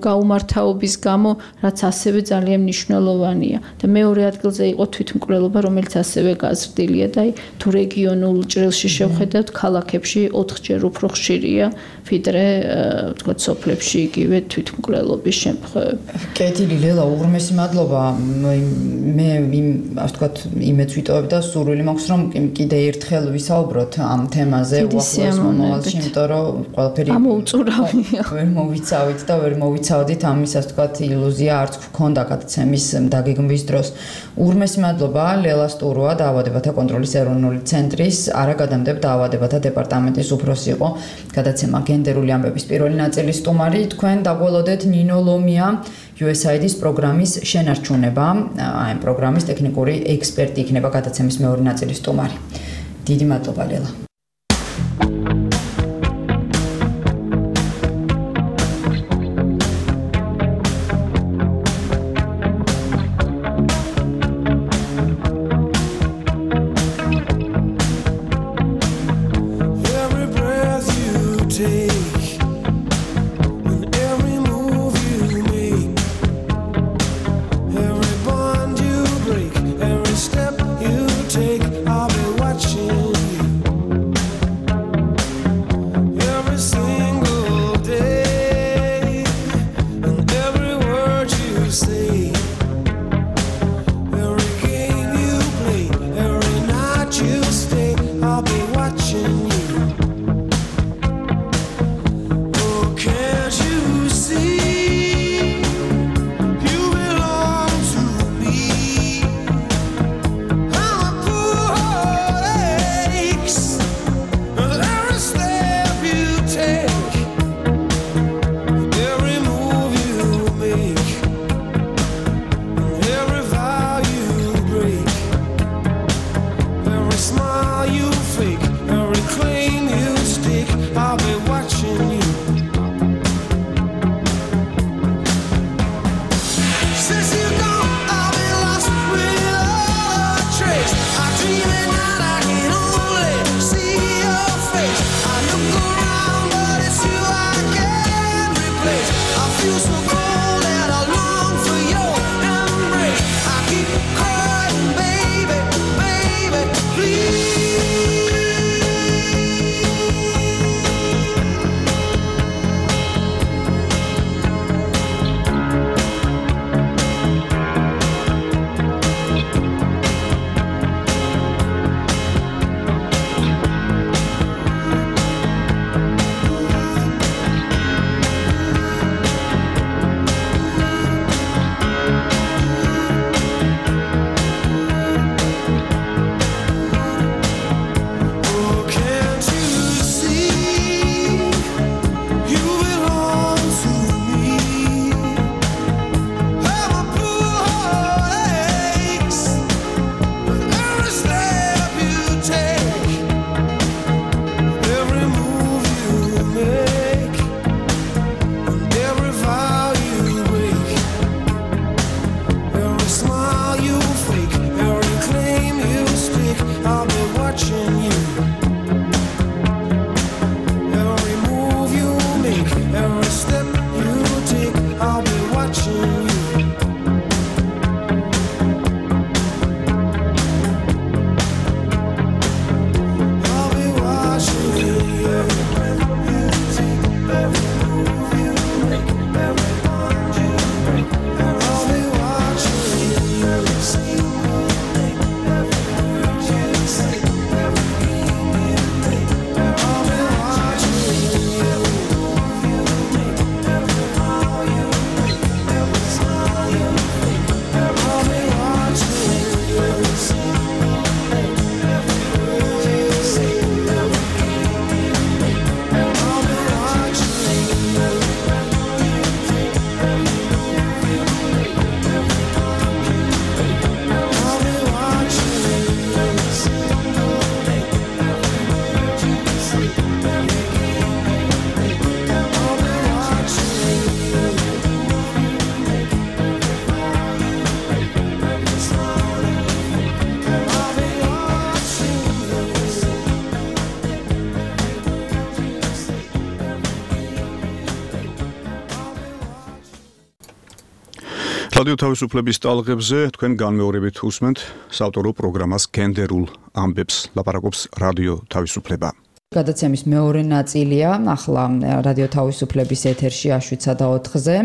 გაუმართავობის გამო, რაც ასევე ძალიან მნიშვნელოვანია. და მეორე ადგილზე იყო თვითმკვლელობა, რომელიც ასევე გაზრდილია და თუ რეგიონულ ჭრილში შევხედავთ, ქალაქებში 4-ჯერ უფრო ხშირია, ვიდრე თქვა სოფლებში იგივე თვითმკვლელობის შემთხვევები. კეთილი ლელა, უღრმესი მადლობა. მე ასე ვთქვათ, იმეც ვიტოვებ და სურვილი მაქვს, რომ კიდე ერთხელ ვისაუბროთ ამ თემაზე უახლოეს მომავალში, იმიტომ რომ ყველაფერი ამოუწურავია. ვერ მოვიცავით და ვერ მოვიცავდით ამის, ასე ვთქვათ, ილუზია არც გქონდა გადაცემის დაგეგმვის დროს. უღრმესი მადლობა ლელა სტუროა, დაავადებათა კონტროლის ეროვნული ცენტრის არაგადამტებ დაავადებათა დეპარტამენტის უფროსი იყო. გადაცემა გენდერული ამბების პირველი ნაწილის სტუმარი. თქვენ დაგველოდეთ ნინო ლომია, USAID-ის პროგრამის შენარჩუნება, აი პროგრამის ტექნიკური ექსპერტი იქნება გადაცემის მეორე ნაწილის სტუმარი. დიდი მადლობა ლელა. I'll be watching you. Okay. რადიო თავისუფლების ტალღებზე თქვენ განმეორებით უსმენთ საავტორო პროგრამას გენდერულ ამბებს ლაპარაკობს რადიო თავისუფლება. გადაცემის მეორე ნაწილია ახლა რადიო თავისუფლების ეთერში 7:04-ზე.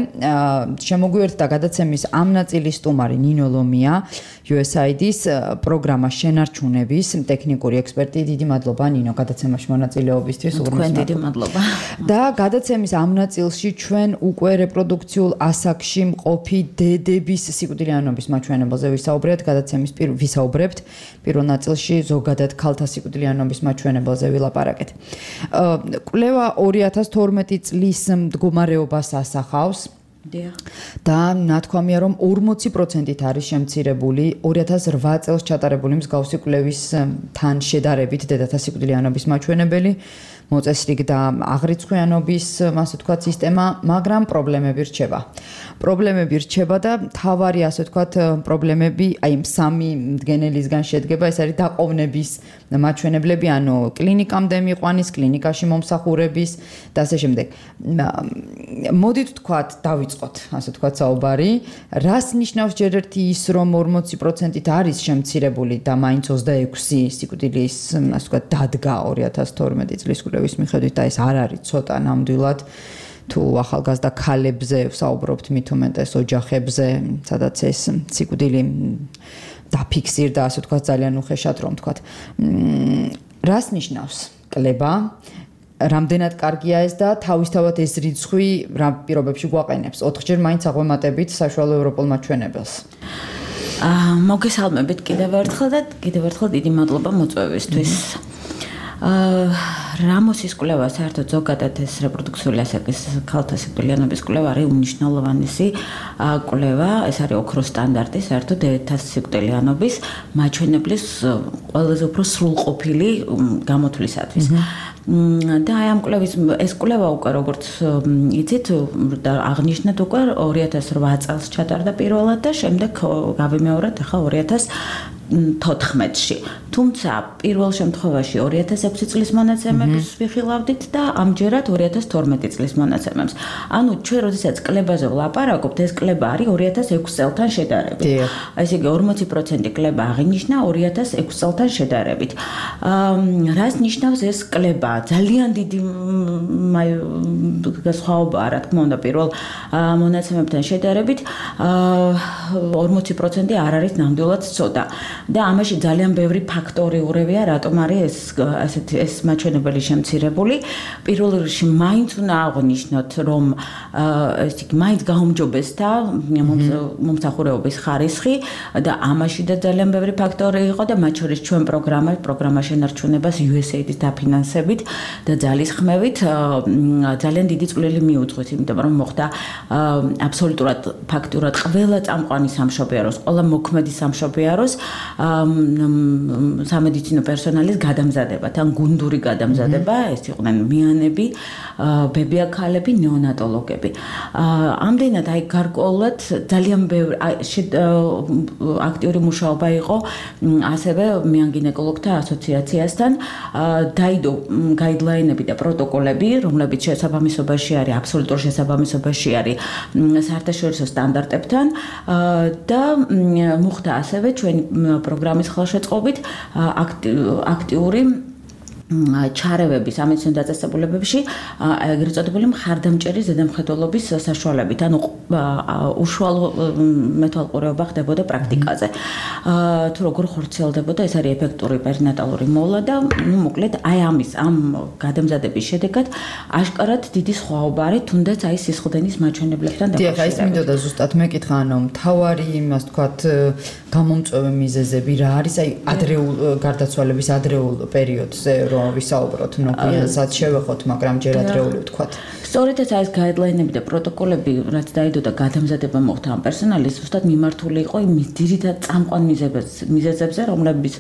შემოგვიერთდა გადაცემის ამ ნაწილის სტუმარი ნინო ლომია, USAID-ის პროგრამას შენარჩუნების ტექნიკური ექსპერტი. დიდი მადლობა ნინო გადაცემაში მონაწილეობისთვის. თქვენ დიდი მადლობა. და გადაცემის ამ ნაწილში ჩვენ უკვე რეპროდუქციულ ასაკში მყოფი დედების სიკვდილიანობის მაჩვენებელზე ვისაუბრებთ. გადაცემის ვისაუბრებთ. პირველ ნაწილში ზოგადად ქალთა სიკვდილიანობის მაჩვენებელზე ვილაპარაკეთ. კვლევა 2012 წლის მდგომარეობას ასახავს. და ნათქვამია რომ 40%-ით არის შემცირებული 2008 წელს ჩატარებული მსგავსი კვლევისთან შედარებით დედათა სიკვდილიანობის მაჩვენებელი. მოწესრიგდა აღრიცხვიანობის, ასე ვთქვათ, სისტემა, მაგრამ პრობლემები რჩება. პრობლემები რჩება და თავარი, ასე ვთქვათ, პრობლემები, აი სამი მდგენელისგან შედგება, ეს არის დაყოვნების მაჩვენებლები, ანუ კლინიკამდე მიყვანის, კლინიკაში მომსახურების და ასე შემდეგ. მოდით ვთქვათ, დავიწყოთ, ასე ვთქვათ, საუბარი. რას ნიშნავს ჯერ ერთი ის, რომ 40%-ით არის შემცირებული და მაინც 26 სიკვდილის, ასე ვთქვათ, დადგა 2012 წლის კვლევის მიხედვით და ეს არ არის ცოტა ნამდვილად თუ ახალგაზრდა ქალებზე ვსაუბრობთ მით უმეტეს ოჯახებზე, სადაც ეს სიკვდილი დაფიქსირდა, ასე ვთქვათ, ძალიან უხეშად რომ ვთქვათ. რას ნიშნავს კლება? რამდენად კარგია ეს და თავისთავად ეს რიცხვი რა პირობებში გვაყენებს? 4-ჯერ მაინც აღვემატებით საშუალო ევროპულ მაჩვენებელს. მოგესალმებით კიდევ ერთხელ და კიდევ ერთხელ დიდი მადლობა მოწვევისთვის. რამოსის კვლევა საერთოდ ზოგადად ეს რეპროდუქციული ასაკის ქალთა სიკვდილიანობის კვლევა არის უმნიშვნელოვანესი კვლევა, ეს არის ოქროს სტანდარტი საერთოდ დედათა სიკვდილიანობის მაჩვენებლის ყველაზე უფრო სრულყოფილი გამოთვლისათვის. და აი ამ კვლევის ეს კვლევა უკვე როგორც იცით და აღნიშნეთ უკვე 2008 წელს ჩატარდა პირველად და შემდეგ გავიმეორეთ ახლა 2014-ში. თუმცა პირველ შემთხვევაში 2006 წლის მონაცემებს ვიხილავდით და ამჯერად 2012 წლის მონაცემებს. ანუ ჩვენ როდესაც კლებაზე ვლაპარაკობთ, ეს კლება არის 2006 წელთან შედარებით. ესე იგი 40% კლება აღინიშნა 2006 წელთან შედარებით. რას ნიშნავს ეს კლება? ძალიან დიდი განსხვავებაა, რა თქმა უნდა, პირველ მონაცემებთან შედარებით 40% არ არის ნამდვილად ცოტა. და ამაში ძალიან ბევრი ფაქტორი ურევია, რატომ არის ეს მაჩვენებელი შემცირებული. პირველ რიგში მაინც უნდა აღვნიშნოთ, რომ ეს იგი მაინც გაუმჯობესდა მომსახურების ხარისხი და ამაში და ძალიან ბევრი ფაქტორი იყო და მათ შორის ჩვენ პროგრამა შენარჩუნებას USAID-ის დაფინანსებით და ძალისხმევით ძალიან დიდი წვლილი მიუძღვით, იმიტომ რომ მოხდა აბსოლუტურად ფაქტურად ყველა წამყვანი სამშობიაროს, ყველა მოქმედი სამშობიაროს სამედიცინო პერსონალის გადამზადება, თან გუნდური გადამზადება, ეს იყვნენ მიანები, ბებია-ქალები, ნეონატოლოგები. ამდენად აი გარკვეულად ძალიან ბევრი აქტიური მუშაობა იყო ასევე მეანგინეკოლოგთა ასოციაციასთან, დაიდო გაიდლაინები და პროტოკოლები, რომლებიც შესაბამისობაში არის, აბსოლუტურ შესაბამისობაში არის საერთაშორისო სტანდარტებთან და მოხდა ასევე ჩვენი პროგრამის ხელშეწყობით აქტიური ჩარევები სამედიცინო დაწესებულებებში ეგრეთ წოდებული მხარდამჭერი ზედამხედველობის საშუალებით, ანუ უშუალო მეთვალყურეობა ხდებოდა პრაქტიკაზე. თუ როგორ ხორციელდებოდა, ეს არის ეფექტური პერინატალური მოვლა და მოკლედ აი ამ გადამზადების შედეგად აშკარად დიდი სხვაობა არის, თუნდაც აი სისხლდენის მაჩვენებლებთან დაკავშირებით. დიახ, ის მინდოდა ზუსტად მეკითხა, ანუ მთავარი იმას თქვათ გამომწვევი მიზეზები რა არის, აი ადრეულ გარდაცვალების ადრეულ პერიოდზე ვისაუბროთ, ნოკვიანსაც შევეხოთ, მაგრამ ჯერ ადრეული ვთქვათ. სწორედ ეს გაიდლაინები და პროტოკოლები, რაც დაიდო და გადამზადება მოხდა ამ პერსონალის, ზუსტად მიმართული იყო იმ ძირითად წამყვან მიზეზებზე, რომლებიც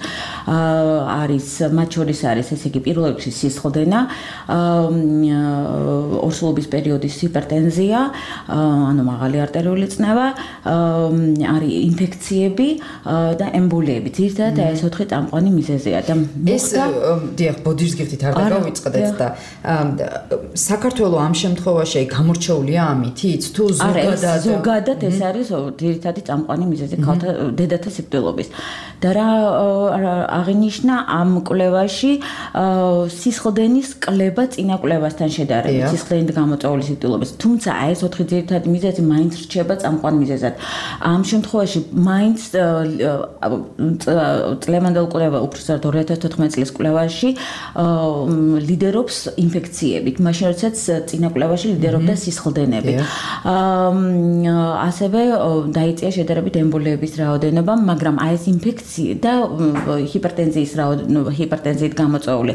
არის მათ შორის არის, ესე იგი, პირველ რიგში სისხლდენა, ორსულობის პერიოდის ჰიპერტენზია, ანუ მაღალი არტერიული წნევა, არის ინფექციები და ემბოლიები. ძირითადად ეს 4 წამყვანი მიზეზია და ეს დიახ, ბოდიშგიხით არ დაგავიწყდეთ და საქართველოს ამ შემთხვევაში გამორჩეულია ამითიც თუ ზოგადად ეს არის ძირითადი წამყვანი მიზეზი ქალთა დედათა სიკვდილობის და რა აღინიშნა ამ კვლევაში სისხლდენის კლება წინა კვლევასთან შედარებით სისხლდენით გამოწვეული სიკვდილობის თუმცა ეს 4 ძირითადი მიზეზი მაინც რჩება წამყვან მიზეზად ამ შემთხვევაში მაინც წლევანდელ კვლევა უბრალოდ 2014 წლის კვლევაში ლიდერობს ინფექციებით მაშინ როდესაც წინა კვლევაში ლიდერობდა სისხლდენები ასევე დაიწია შედარებით ემბოლიების რაოდენობა მაგრამ აი ეს ინფექცია და ჰიპერტენზიით გამოწვეული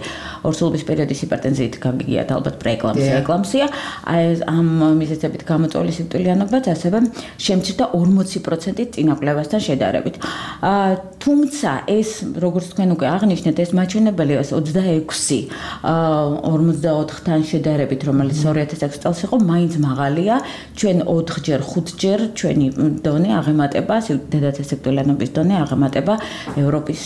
ორსულობის პერიოდის ჰიპერტენზიით გაგიგიათ ალბათ პრეეკლამსია აი ამ მიზეზებით გამოწვეული სიკვდილიანობაც ასევე შემცირდა 40%-ით წინა კვლევასთან შედარებით თუმცა ეს როგორც თქვენ უკვე აღნიშნეთ ეს მაჩვენებელი 26-54-თან შედარებით რომელიც 2006 წელს იყო მაინც მაღალია ჩვენ 4-ჯერ 5-ჯერ ჩვენი დონე აღემატება დედათა სიკვდილიანობის დონე აღემატება ევროპის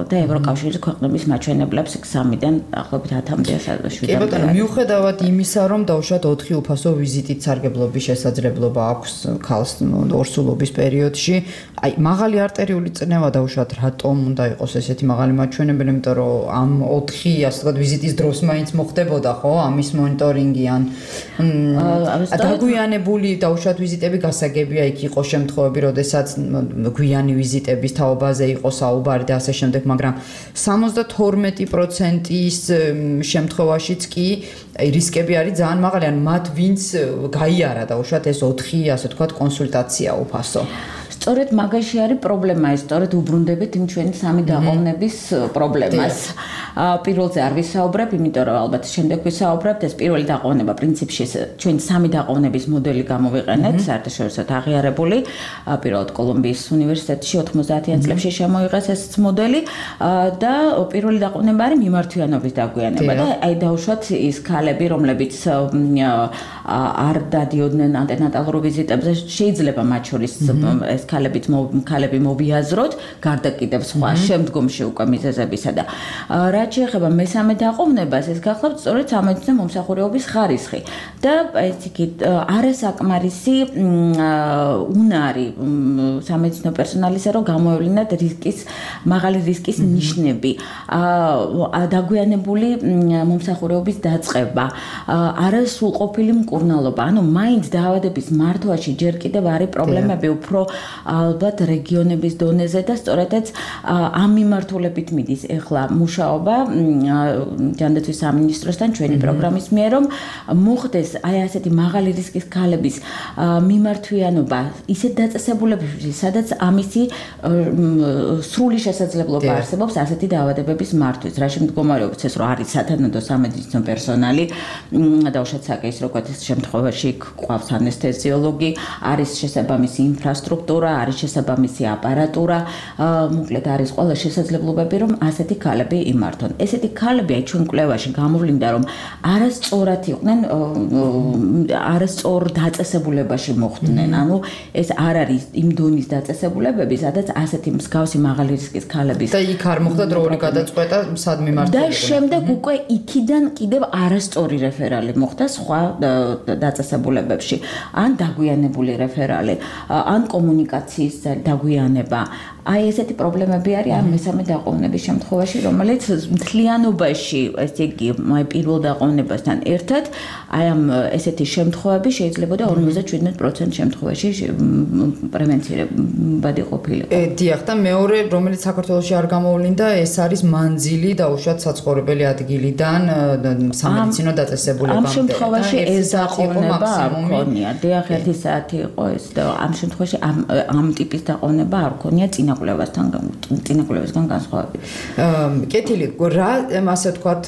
და ევროკავშირის ქვეყნების მაჩვენებლებს 3-დან ახლობით 10-მდე 7-მდე. კი ბატონო, მიუხედავად იმისა, რომ დაუშვათ 4 უფასო ვიზიტით სარგებლობის შესაძლებლობა აქვს ქალს ორსულობის პერიოდში, აი მაღალი არტერიული წნევა დაუშვათ რატომ უნდა იყოს ესეთი მაღალი მაჩვენებელი, იმიტომ რომ ამ 4 ასე ვთქვათ ვიზიტის დროს მაინც მოხდებოდა ხო ამის მონიტორინგი ან დაგვიანებული დაუშვათ ვიზიტები გასაგებია იქ იყო შემთხვევები, როდესაც გვიანი ვიზიტების თაობაზე იყო საუბარი და ასე შემდეგ, მაგრამ 72%-ის შემთხვევაშიც კი რისკები არის ძალიან მაღალი, ან მათ ვინც გაიარა დაუშვათ ეს 4 ასე ვთქვათ კონსულტაცია უფასო. სწორედ მაგაში არის პრობლემა, სწორედ უბრუნდებით იმ ჩვენი სამი დაყოვნების პრობლემას. პირველზე არ ვისაუბრებ, იმიტომ რომ ალბათ შემდეგ ვისაუბრებთ, ეს პირველი დაყოვნება პრინციპში ჩვენ სამი დაყოვნების მოდელი გამოვიყენეთ, საერთაშორისოდ აღიარებული, პირველად კოლუმბიის უნივერსიტეტში 90-იან წლებში შემოიღეს ეს მოდელი და პირველი დაყოვნება არის მიმართვიანობის დაგვიანება და აი დაუშვათ ის ქალები, რომლებიც არ დადიოდნენ ანტენატალურ ვიზიტებზე, შეიძლება მათ შორის ეს ქალები მოვიაზროთ, გარდა კიდევ სხვა შემდგომში უკვე მიზეზებისა და რაც შეეხება მესამე დაყოვნებას, ეს გახლავთ სწორედ სამედიცინო მომსახურეობის ხარისხი და ეს იგი არასაკმარისი უნარი სამედიცინო პერსონალისა, რომ გამოევლინათ მაღალი რისკის ნიშნები, დაგვიანებული მომსახურეობის დაწყება, არასრულყოფილი მკურნალობა, ანუ მაინც დაავადების მართვაში ჯერ კიდევ არის პრობლემები, უფრო ალბათ რეგიონების დონეზე და სწორედაც ამ მიმართულებით მიდის ახლა მუშაობა ჯანდაცვის სამინისტროსთან ჩვენი პროგრამის მიერ რომ მოხდეს აი ასეთი მაღალი რისკის ქალების მიმართვიანობა ისეთ დაწესებულებებში, სადაც ამისი სრული შესაძლებლობა არსებობს ასეთი დაავადებების მართვის. რა შემდგომარეობაც ეს რომ არის სათანადო სამედიცინო პერსონალი, დაუშვათ საკეის როგორც შემთხვევაში გვყავს ანესთეზიოლოგი, არის შესაბამისი ინფრასტრუქტურა, არის შესაბამისი აპარატურა, მოკლედ არის ყველა შესაძლებლობები რომ ასეთი ქალები იმართონ. ესეთი ქალები აი ჩვენ კვლევაში გამოვლინდა რომ არასწორად იყვნენ, არასწორ დაწესებულებაში მოხვდნენ. ანუ ეს არ არის იმ დონის დაწესებულებები, სადაც ასეთი მსგავსი მაღალი რისკის ქალების და იქ არ მოხდა დროული გადაწყვეტა სად მიმართულიყო. და შემდეგ უკვე იქიდან კიდევ არასწორი რეფერალი მოხდა სხვა დაწესებულებებში, ან დაგვიანებული რეფერალი, ან კომუნიკაციის დაგვიანება. აი ესეთი პრობლემები არის ამ მესამე დაყოვნების შემთხვევაში, რომელიც მთლიანობაში, ესე იგი, პირველ დაყოვნებასთან ერთად, აი ამ ესეთი შემთხვევები შეიძლებოდა 57% შემთხვევაში პრევენცირებადი ყოფილიყო. დიახ, და მეორე, რომელიც საქართველოში არ გამოვლინდა, ეს არის მანძილი დაუშვათ საცხოვრებელი ადგილიდან სამედიცინო დაწესებულებამდე. ამ შემთხვევაში ეს დაყოვნება არ ქონია. დიახ, 1 საათი იყო ეს და ამ შემთხვევაში ამ ტიპის დაყოვნება არ ქონია წინაკვლევასგან განსხვავებით. კეთილი, რა ასე ვთქვათ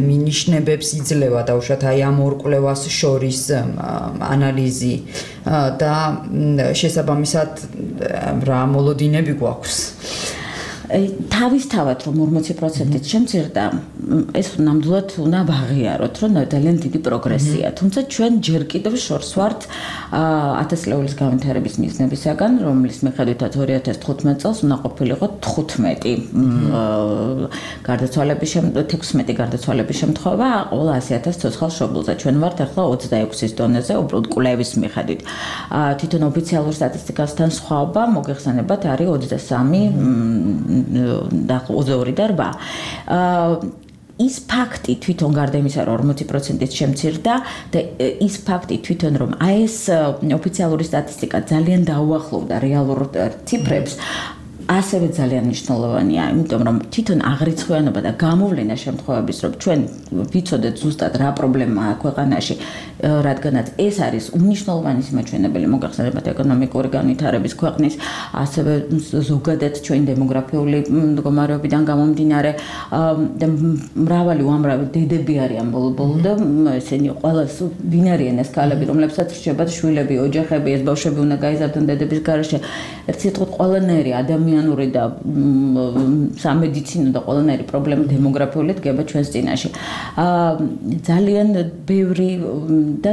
მინიშნებებს იძლევა დაუშვათ აი ამ ორ კვლევას შორის ანალიზი და შესაბამისად რა მოლოდინები გვაქვს? თავისთავად რომ 40%-ით შემცირდა, ეს ნამდვილად უნდა ვაღიაროთ, რომ ძალიან დიდი პროგრესია. თუმცა ჩვენ ჯერ კიდევ შორს ვართ 1000 ლეულის განვითარების მიზნებისაგან, რომლის მიხედვითაც 2015 წელს უნდა ყოფილიყო 15 გარდაცვალების 16 გარდაცვალების შემთხვევა ყოველ 100,000 ცოცხალ მშობელზე. ჩვენ ვართ ახლა 26-ის დონეზე, უბრალოდ კვლევის მიხედვით. თვითონ ოფიციალურ სტატისტიკასთან სხვაობა მოგეხსენებათ არის 23 და 22 და 8. ის ფაქტი თვითონ გარდა იმისა, რომ 40%-ით შემცირდა და ის ფაქტი თვითონ რომ ეს ოფიციალური სტატისტიკა ძალიან დაუახლოვდა რეალურ ციფრებს, ასევე ძალიან მნიშვნელოვანია, იმიტომ რომ თვითონ აღრიცხვიანობა და გამოვლენა შემთხვევების, რომ ჩვენ ვიცოდეთ ზუსტად რა პრობლემაა ქვეყანაში, რადგანაც ეს არის უმნიშვნელოვანი მაჩვენებელი მოგახსენებათ ეკონომიკური განვითარების ქვეყნის, ასევე ზოგადად ჩვენ დემოგრაფიული მდგომარეობიდან გამომდინარე და მრავალი უამრავი დედები არიან ბოლო-ბოლო და ესენი ყველა ვინ არიან ეს ქალები, რომლებსაც რჩებათ შვილები, ოჯახები, ეს ბავშვები უნდა გაიზარდონ დედების გარეშე. ერთ სიტყვით ყველანაირი ადამიანური და სამედიცინო და ყველანაირი პრობლემა დემოგრაფიული დგება ჩვენს წინაშე. ძალიან ბევრი და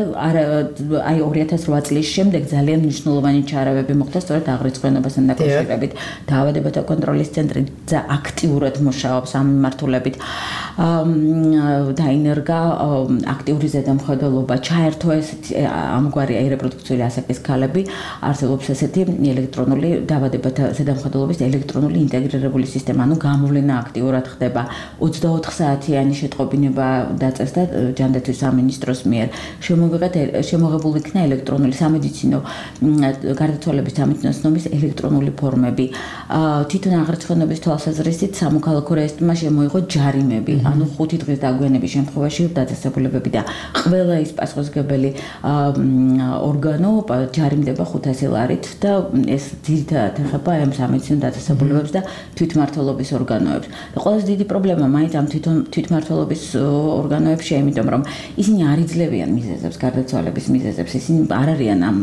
აი 2008 წლის შემდეგ ძალიან მნიშვნელოვანი ჩარავები მოხდა სწორედ აღრიცხვიანობასთან დაკავშირებით. დაავადებათა კონტროლის ცენტრი აქტიურად მუშაობს ამ მიმართულებით. დაინერგა აქტიური ზედამხედველობა, ჩაერთო ამგვარი რეპროდუქციული ასაკის ქალები, არსებობს ესეთი ელექტრონული დაავადებათა ზედამხედველობის ელექტრონული ინტეგრირებული სისტემა, ანუ გამოვლენა აქტიურად ხდება. 24 საათიანი შეტყობინება დაწესდა ჯანდაცვის სამინისტროს მიერ. შემოღებულ იქნა ელექტრონული სამედიცინო გარდაცვალების სამედიცინო ცნობის ელექტრონული ფორმები. თვითონ აღრიცხვიანობის თვალსაზრისით სამოქალაქო რეესტრმა შემოიღო ჯარიმები, ანუ 5 დღის დაგვიანების შემთხვევაში დაწესებულებები და ყველა ის პასუხისმგებელი ორგანო ჯარიმდება 500 ლარით და ეს ძირითადად ეხება ამ სამედიცინო დაწესებულებებს და თვითმმართველობის ორგანოებს. და ყველაზე დიდი პრობლემა მაინც ამ თვითმმართველობის ორგანოებშია, იმიტომ რომ ისინი არ იძლევიან მიზეზებს, გარდაცვალების მიზეზებს, ისინი არ არიან ამ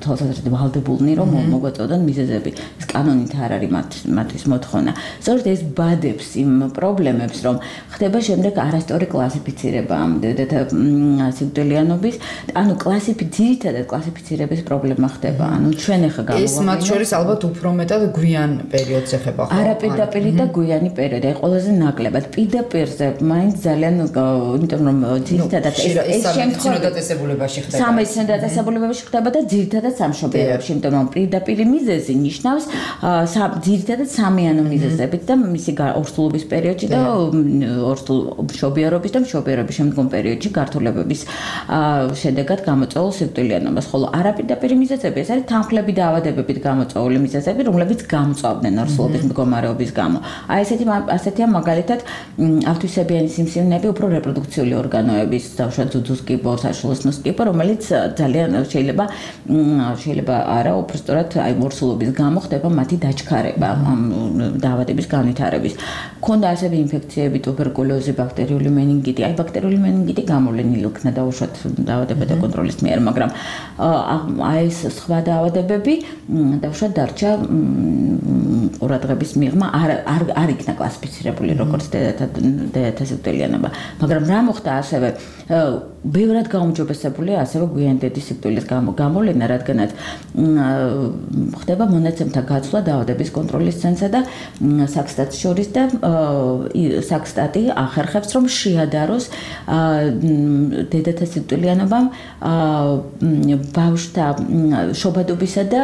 თვალსაზრისით ვალდებულნი, რომ მოგვაწოდონ მიზეზები. ეს კანონით არ არის მათთვის მოთხოვნა. სწორედ ეს ბადებს იმ პრობლემებს, რომ ხდება შემდეგ არასწორი კლასიფიცირება ამ დედათა სიკვდილიანობის, ანუ ძირითადად კლასიფიცირების პრობლემა ხდება. ანუ ჩვენ ახლა ეს მათ შორის ალბათ უფრო მეტად გვიან პერიოდს ეხება ხო? არა პირდაპირ და გვიანი პერიოდი, აი ყველაზე ნაკლებად. პირდაპირზე მაინც ძალიან, იმიტომ რომ ძირითადად ეს შემთხვევა დაწესებულებაში ხდება. სამედიცინო დაწესებულებაში ხდება და ძირითადად სამშობლოებში, იმიტომ რომ პირდაპირ მიზეზი ნიშნავს ძირითადად სამიანო მიზეზებით და მისი ორსულობის პერიოდში და მშობიარობის და მშობიარობის შემდგომ პერიოდში გართულებების შედეგად გამოწვეულ სიკვდილიანობას, ხოლო არაპირდაპირ მიზეზები ეს არის თანხლები და დაავადებებით გამოწვეული მიზეზები, რომლებიც გამწვავდნენ ორსულობის მდგომარეობის გამო. აი ასეთია მაგალითად ავთვისებიანი სიმსივნეები უფრო რეპროდუქციული ორგანოების, დავუშვათ ძუძუს კიბო, საშუალოსნოს კიბო, რომელიც ძალიან შეიძლება არა, უფრო სწორად აი ორსულობის გამო ხდება მათი დაჩქარება ამ დაავადების განვითარების. ქონდა ასევე ინფექციები, ტუბერკულოზი, ბაქტერიული მენინგიტი. აი ბაქტერიული მენინგიტი გამოვლენილი იქნა დაუშვათ დაავადებათა კონტროლის მიერ, მაგრამ აი ეს სხვა დაავადებები დაუშვათ დარჩა ყურადღების მიღმა არ იქნა კლასიფიცირებული როგორც დედათა სიკვდილიანობა. მაგრამ რა მოხდა ასევე ბევრად გაუმჯობესებულია ასევე გვიანი დედის სიკვდილის გამოვლენა, რადგანაც ხდება მონაცემთა გაცვლა დაავადების კონტროლის ცენტრსა და საქსტატს შორის და საქსტატი ახერხებს, რომ შეადაროს დედათა სიკვდილიანობამ ბავშვთა შობადობისა და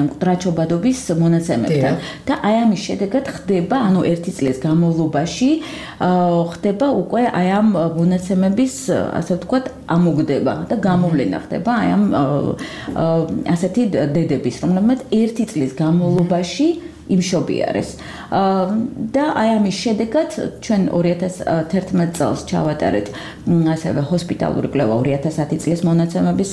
მკვდრაჩობადობის მონაცემებთან. და აი ამის შედეგად ხდება, ანუ 1 წლის განმავლობაში ხდება უკვე აი ამ მონაცემების, ასე ვთქვათ, ამოგდება და გამოვლენა ხდება აი ამ ასეთი დედების, რომლებმაც 1 წლის განმავლობაში იმშობიარეს. და აი ამის შედეგად ჩვენ 2011 წელს ჩავატარეთ ასევე ჰოსპიტალური კვლევა 2010 წლის მონაცემების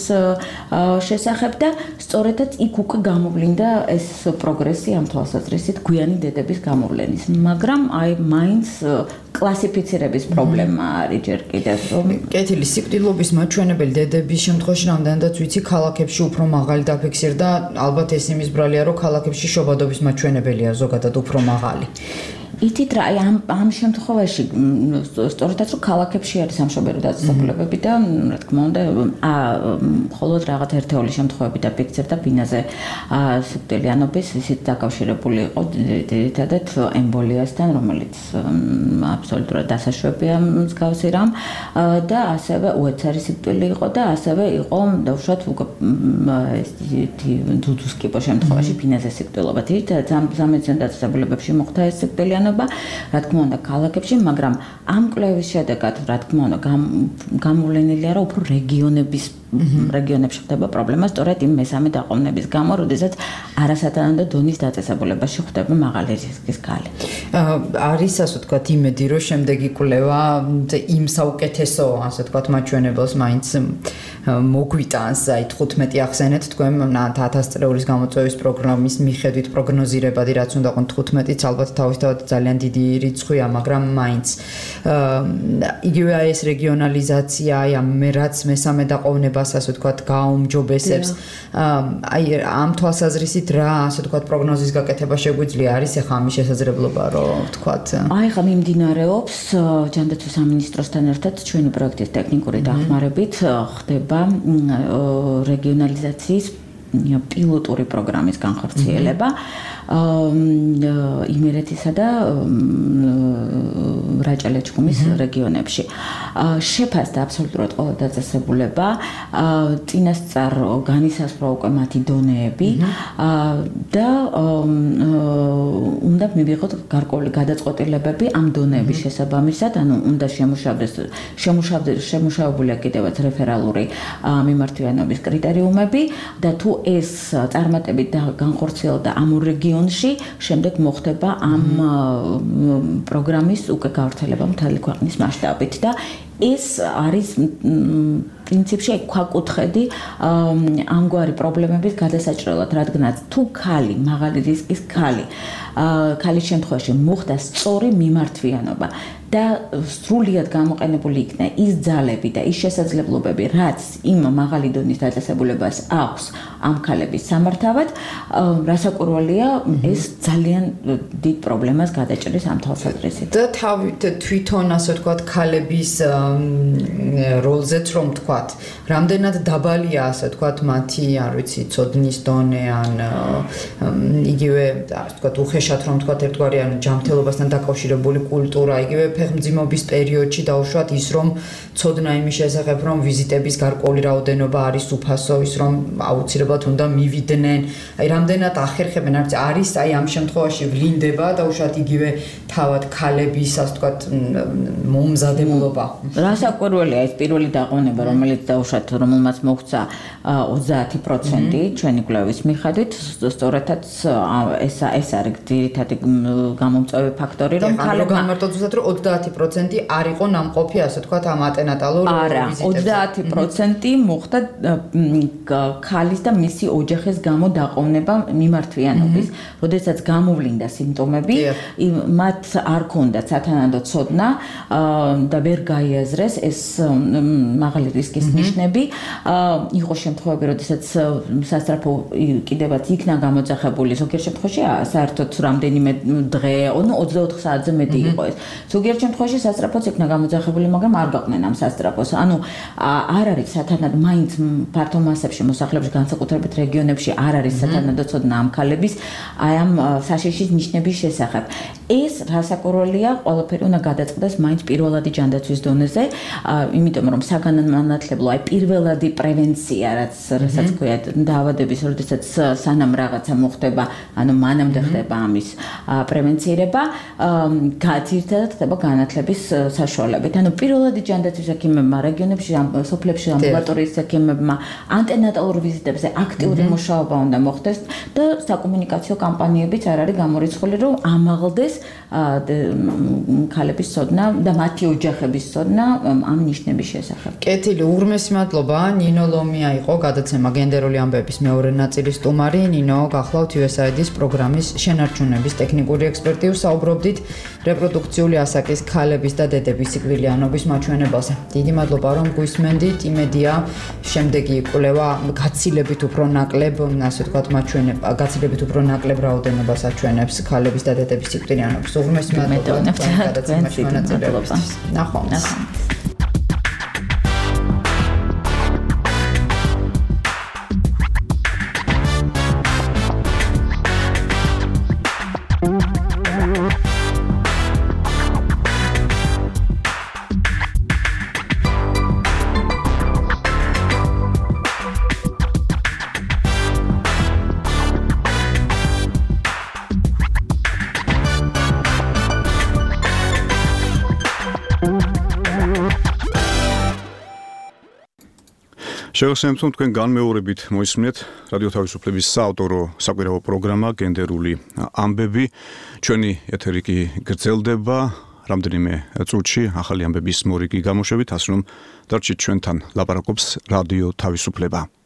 შესახებ და სწორედაც იქ უკვე გამოვლინდა ეს პროგრესი ამ თვალსაზრისით გვიანი დედების გამოვლენის. მაგრამ აი მაინც კლასიფიცირების პრობლემა არის ჯერ კიდევ. კეთილი სიკვდილობის მაჩვენებელი დედების შემთხვევაში რამდენადაც ვიცი ქალაქებში უფრო მაღალი დაფიქსირდა, ალბათ ეს იმის ბრალია, რომ ქალაქებში შობადობის მაჩვენებელია ზოგადად უფრო მაღალი. ითით რა ამ შემთხვევაში სწორედაც რომ ქალაქებში არის სამშობლო დაწესებულებები და რა თქმა უნდა მხოლოდ რაღაც ერთეული შემთხვევები დაფიქსირდა ბინაზე სიკვდილიანობის ისიც დაკავშირებული იყო ძირითადად ემბოლიასთან რომელიც აბსოლუტურად დასაშვებია მსგავსი რამ და ასევე უეცარი სიკვდილი იყო და ასევე იყო დაუშვათ ძუძუს კიპო შემთხვევაში ბინაზე სიკვდილობა ძირითადად სამედიცინო დაწესებულებებში მოხდა ეს სიკვდილიანობა რა თქმა უნდა ქალაქებში, მაგრამ ამ კვლევის შედეგად რა თქმა უნდა გამოვლენილია რომ უფრო რეგიონებში ხდება პრობლემა სწორედ იმ მესამე დაყოვნების გამო, როდესაც არასათანადო დონის დაწესებულებაში ხდება მაღალი რისკის ქალი. არის ასე ვთქვათ იმედი რომ შემდეგი კვლევა იმ საუკეთესო ასე ვთქვათ მაჩვენებელს მაინც მოგვიტანს, აი 15 ახსენეთ თქვენ 1000 წლების გამოწვევის პროგრამის მიხედვით პროგნოზირებადი რაც უნდა ყოფილიყო 15-იც ალბათ თავისთავად ძალიან დიდი რიცხვია, მაგრამ მაინც იგივე ეს რეგიონალიზაცია, აი მე რაც მესამე დაყოვნებას ასე ვთქვათ გააუმჯობესებს, აი ამ თვალსაზრისით რა ასე ვთქვათ პროგნოზის გაკეთება შეგვიძლია, არის ახლა ამის შესაძლებლობა რომ ვთქვათ. აი ხა მიმდინარეობს ჯანდაცვის სამინისტროსთან ერთად ჩვენი პროექტის ტექნიკური დახმარებით ხდება რეგიონალიზაციის პილოტური პროგრამის განხორციელება იმერეთისა და რაჭა-ლეჩხუმის რეგიონებში. შეფასდა აბსოლუტურად ყველა დაწესებულება, წინასწარ განისაზღვრა უკვე მათი დონეები და უნდა მივიღოთ გარკვეული გადაწყვეტილებები ამ დონეების შესაბამისად, ანუ უნდა შემუშავებულია კიდევაც რეფერალური მიმართვიანობის კრიტერიუმები და თუ ეს წარმატებით განხორციელდა ამ რეგიონში, შემდეგ მოხდება ამ პროგრამის უკვე გავრცელება მთელი ქვეყნის მასშტაბით და ეს არის პრინციპში ქვაკუთხედი ამგვარი პრობლემების გადასაჭრელად, რადგანაც თუ ქალი, მაღალი რისკის ქალის შემთხვევაში მოხდა სწორი მიმართვიანობა და სრულიად გამოყენებული იქნა ის ძალები და ის შესაძლებლობები, რაც იმ მაღალი დონის დაწესებულებას აქვს ამ ქალების სამართავად, რასაკვირველია, ეს ძალიან დიდ პრობლემას გადაჭრის ამ თვალსაზრისით. და თვითონ ასე ვთქვათ ქალების როლზეც რომ ვთქვათ, რამდენად დაბალია ასე ვთქვათ მათი, არ ვიცი, ცოდნის დონე ან იგივე ასე ვთქვათ უხეშად რომ ვთქვათ ერთგვარი ან ჯანმრთელობასთან დაკავშირებული კულტურა, იგივე ფეხმძიმობის პერიოდში დაუშვათ ის რომ ცოდნა იმის შესახებ რომ ვიზიტების გარკვეული რაოდენობა არის უფასო, ის რომ აუცილებლად უნდა მივიდნენ, აი რამდენად ახერხებენ, არის აი ამ შემთხვევაში ვლინდება დაუშვათ იგივე თავად ქალების ასე ვთქვათ მომზადებულობა. რასაკვირველია ეს პირველი დაყოვნება, რომელიც დაუშვათ რომელმაც მოგვცა 30% ჩვენი კვლევის მიხედვით, სწორედაც ეს არის ძირითადი გამომწვევი ფაქტორი, რომ ქალებმა გამარტოთ ზუსტად რომ 30% არ იყო ნამყოფი ასე ვთქვათ ამ ატენატალურ ვიზიტებზე. არა, 30% მოხდა ქალის და მისი ოჯახის გამო დაყოვნება მიმართვიანობის, როდესაც გამოვლინდა სიმპტომები, მათ არ ქონდათ სათანადო ცოდნა და ვერ გაიაზრეს ეს მაღალი რისკის ნიშნები. იყო შემთხვევები, როდესაც სასწრაფო კიდევაც იქნა გამოძახებული, ზოგიერთ შემთხვევაში საერთოდ რამდენიმე დღე, 24 საათზე მეტი იყო ეს. ზოგიერთ შემთხვევაში სასწრაფოც იქნა გამოძახებული, მაგრამ არ გაყვნენ ამ სასწრაფოს. ანუ არ არის სათანადო მაინც ფართო მასებში მოსახლეობის განსაკუთრებით რეგიონებში არ არის სათანადო ცოდნა ამ ქალების აი ამ საშიშის ნიშნების შესახებ. ეს რასაკვირველია, ყველაფერი უნდა გადაწყდეს მაინც პირველადი ჯანდაცვის დონეზე, იმიტომ რომ საგანმანათლებლო აი პირველადი პრევენცია, რასაც ქვია დაავადების, როდესაც სანამ რაღაცა მოხდება, ანუ მანამდე ხდება ამის პრევენცირება, ძირითადად ხდება განათლების საშუალებით. ანუ პირველადი ჯანდაცვის ექიმებმა რეგიონებში, სოფლებში ამბულატორიის ექიმებმა ანტენატალურ ვიზიტებზე აქტიური მუშაობა უნდა მოხდეს და საკომუნიკაციო კამპანიებიც არ არის გამორიცხული, რომ ამაღლდეს ქალების ცოდნა და მათი ოჯახების ცოდნა ამ ნიშნების შესახებ. კეთილი, უღრმესი მადლობა. ნინო ლომია იყო გადაცემა გენდერული ამბების მეორე ნაწილის სტუმარი. ნინო, გახლავთ USAID-ის პროგრამის შენარჩუნების ტექნიკური ექსპერტი. ვსაუბრობდით რეპროდუქციული ასაკის ქალების და დედების სიკვდილიანობის მაჩვენებაზე. დიდი მადლობა, რომ გვისმენდით. იმედია, შემდეგი იკვლევა გაცილებით უფრო ნაკლებ, ასე ვთქვათ, მაჩვენება, გაცილებით უფრო ნაკლებ რაოდენობას აჩვენებს ქალების და დედების სიკვდილიანობის. უღრმესი მადლობა გადაცემაში მონაწილეობისთვის. ნახვამდის. შევასრულებთ თქვენ განმეორებით მოისმინეთ რადიო თავისუფლების საავტორო საკვირაო პროგრამა გენდერული ამბები. ჩვენი ეთერი კი გრძელდება რამდენიმე წუთში ახალი ამბების მორიგი გამოშვებით, ასე რომ დარჩით ჩვენთან, ლაპარაკობს რადიო თავისუფლება.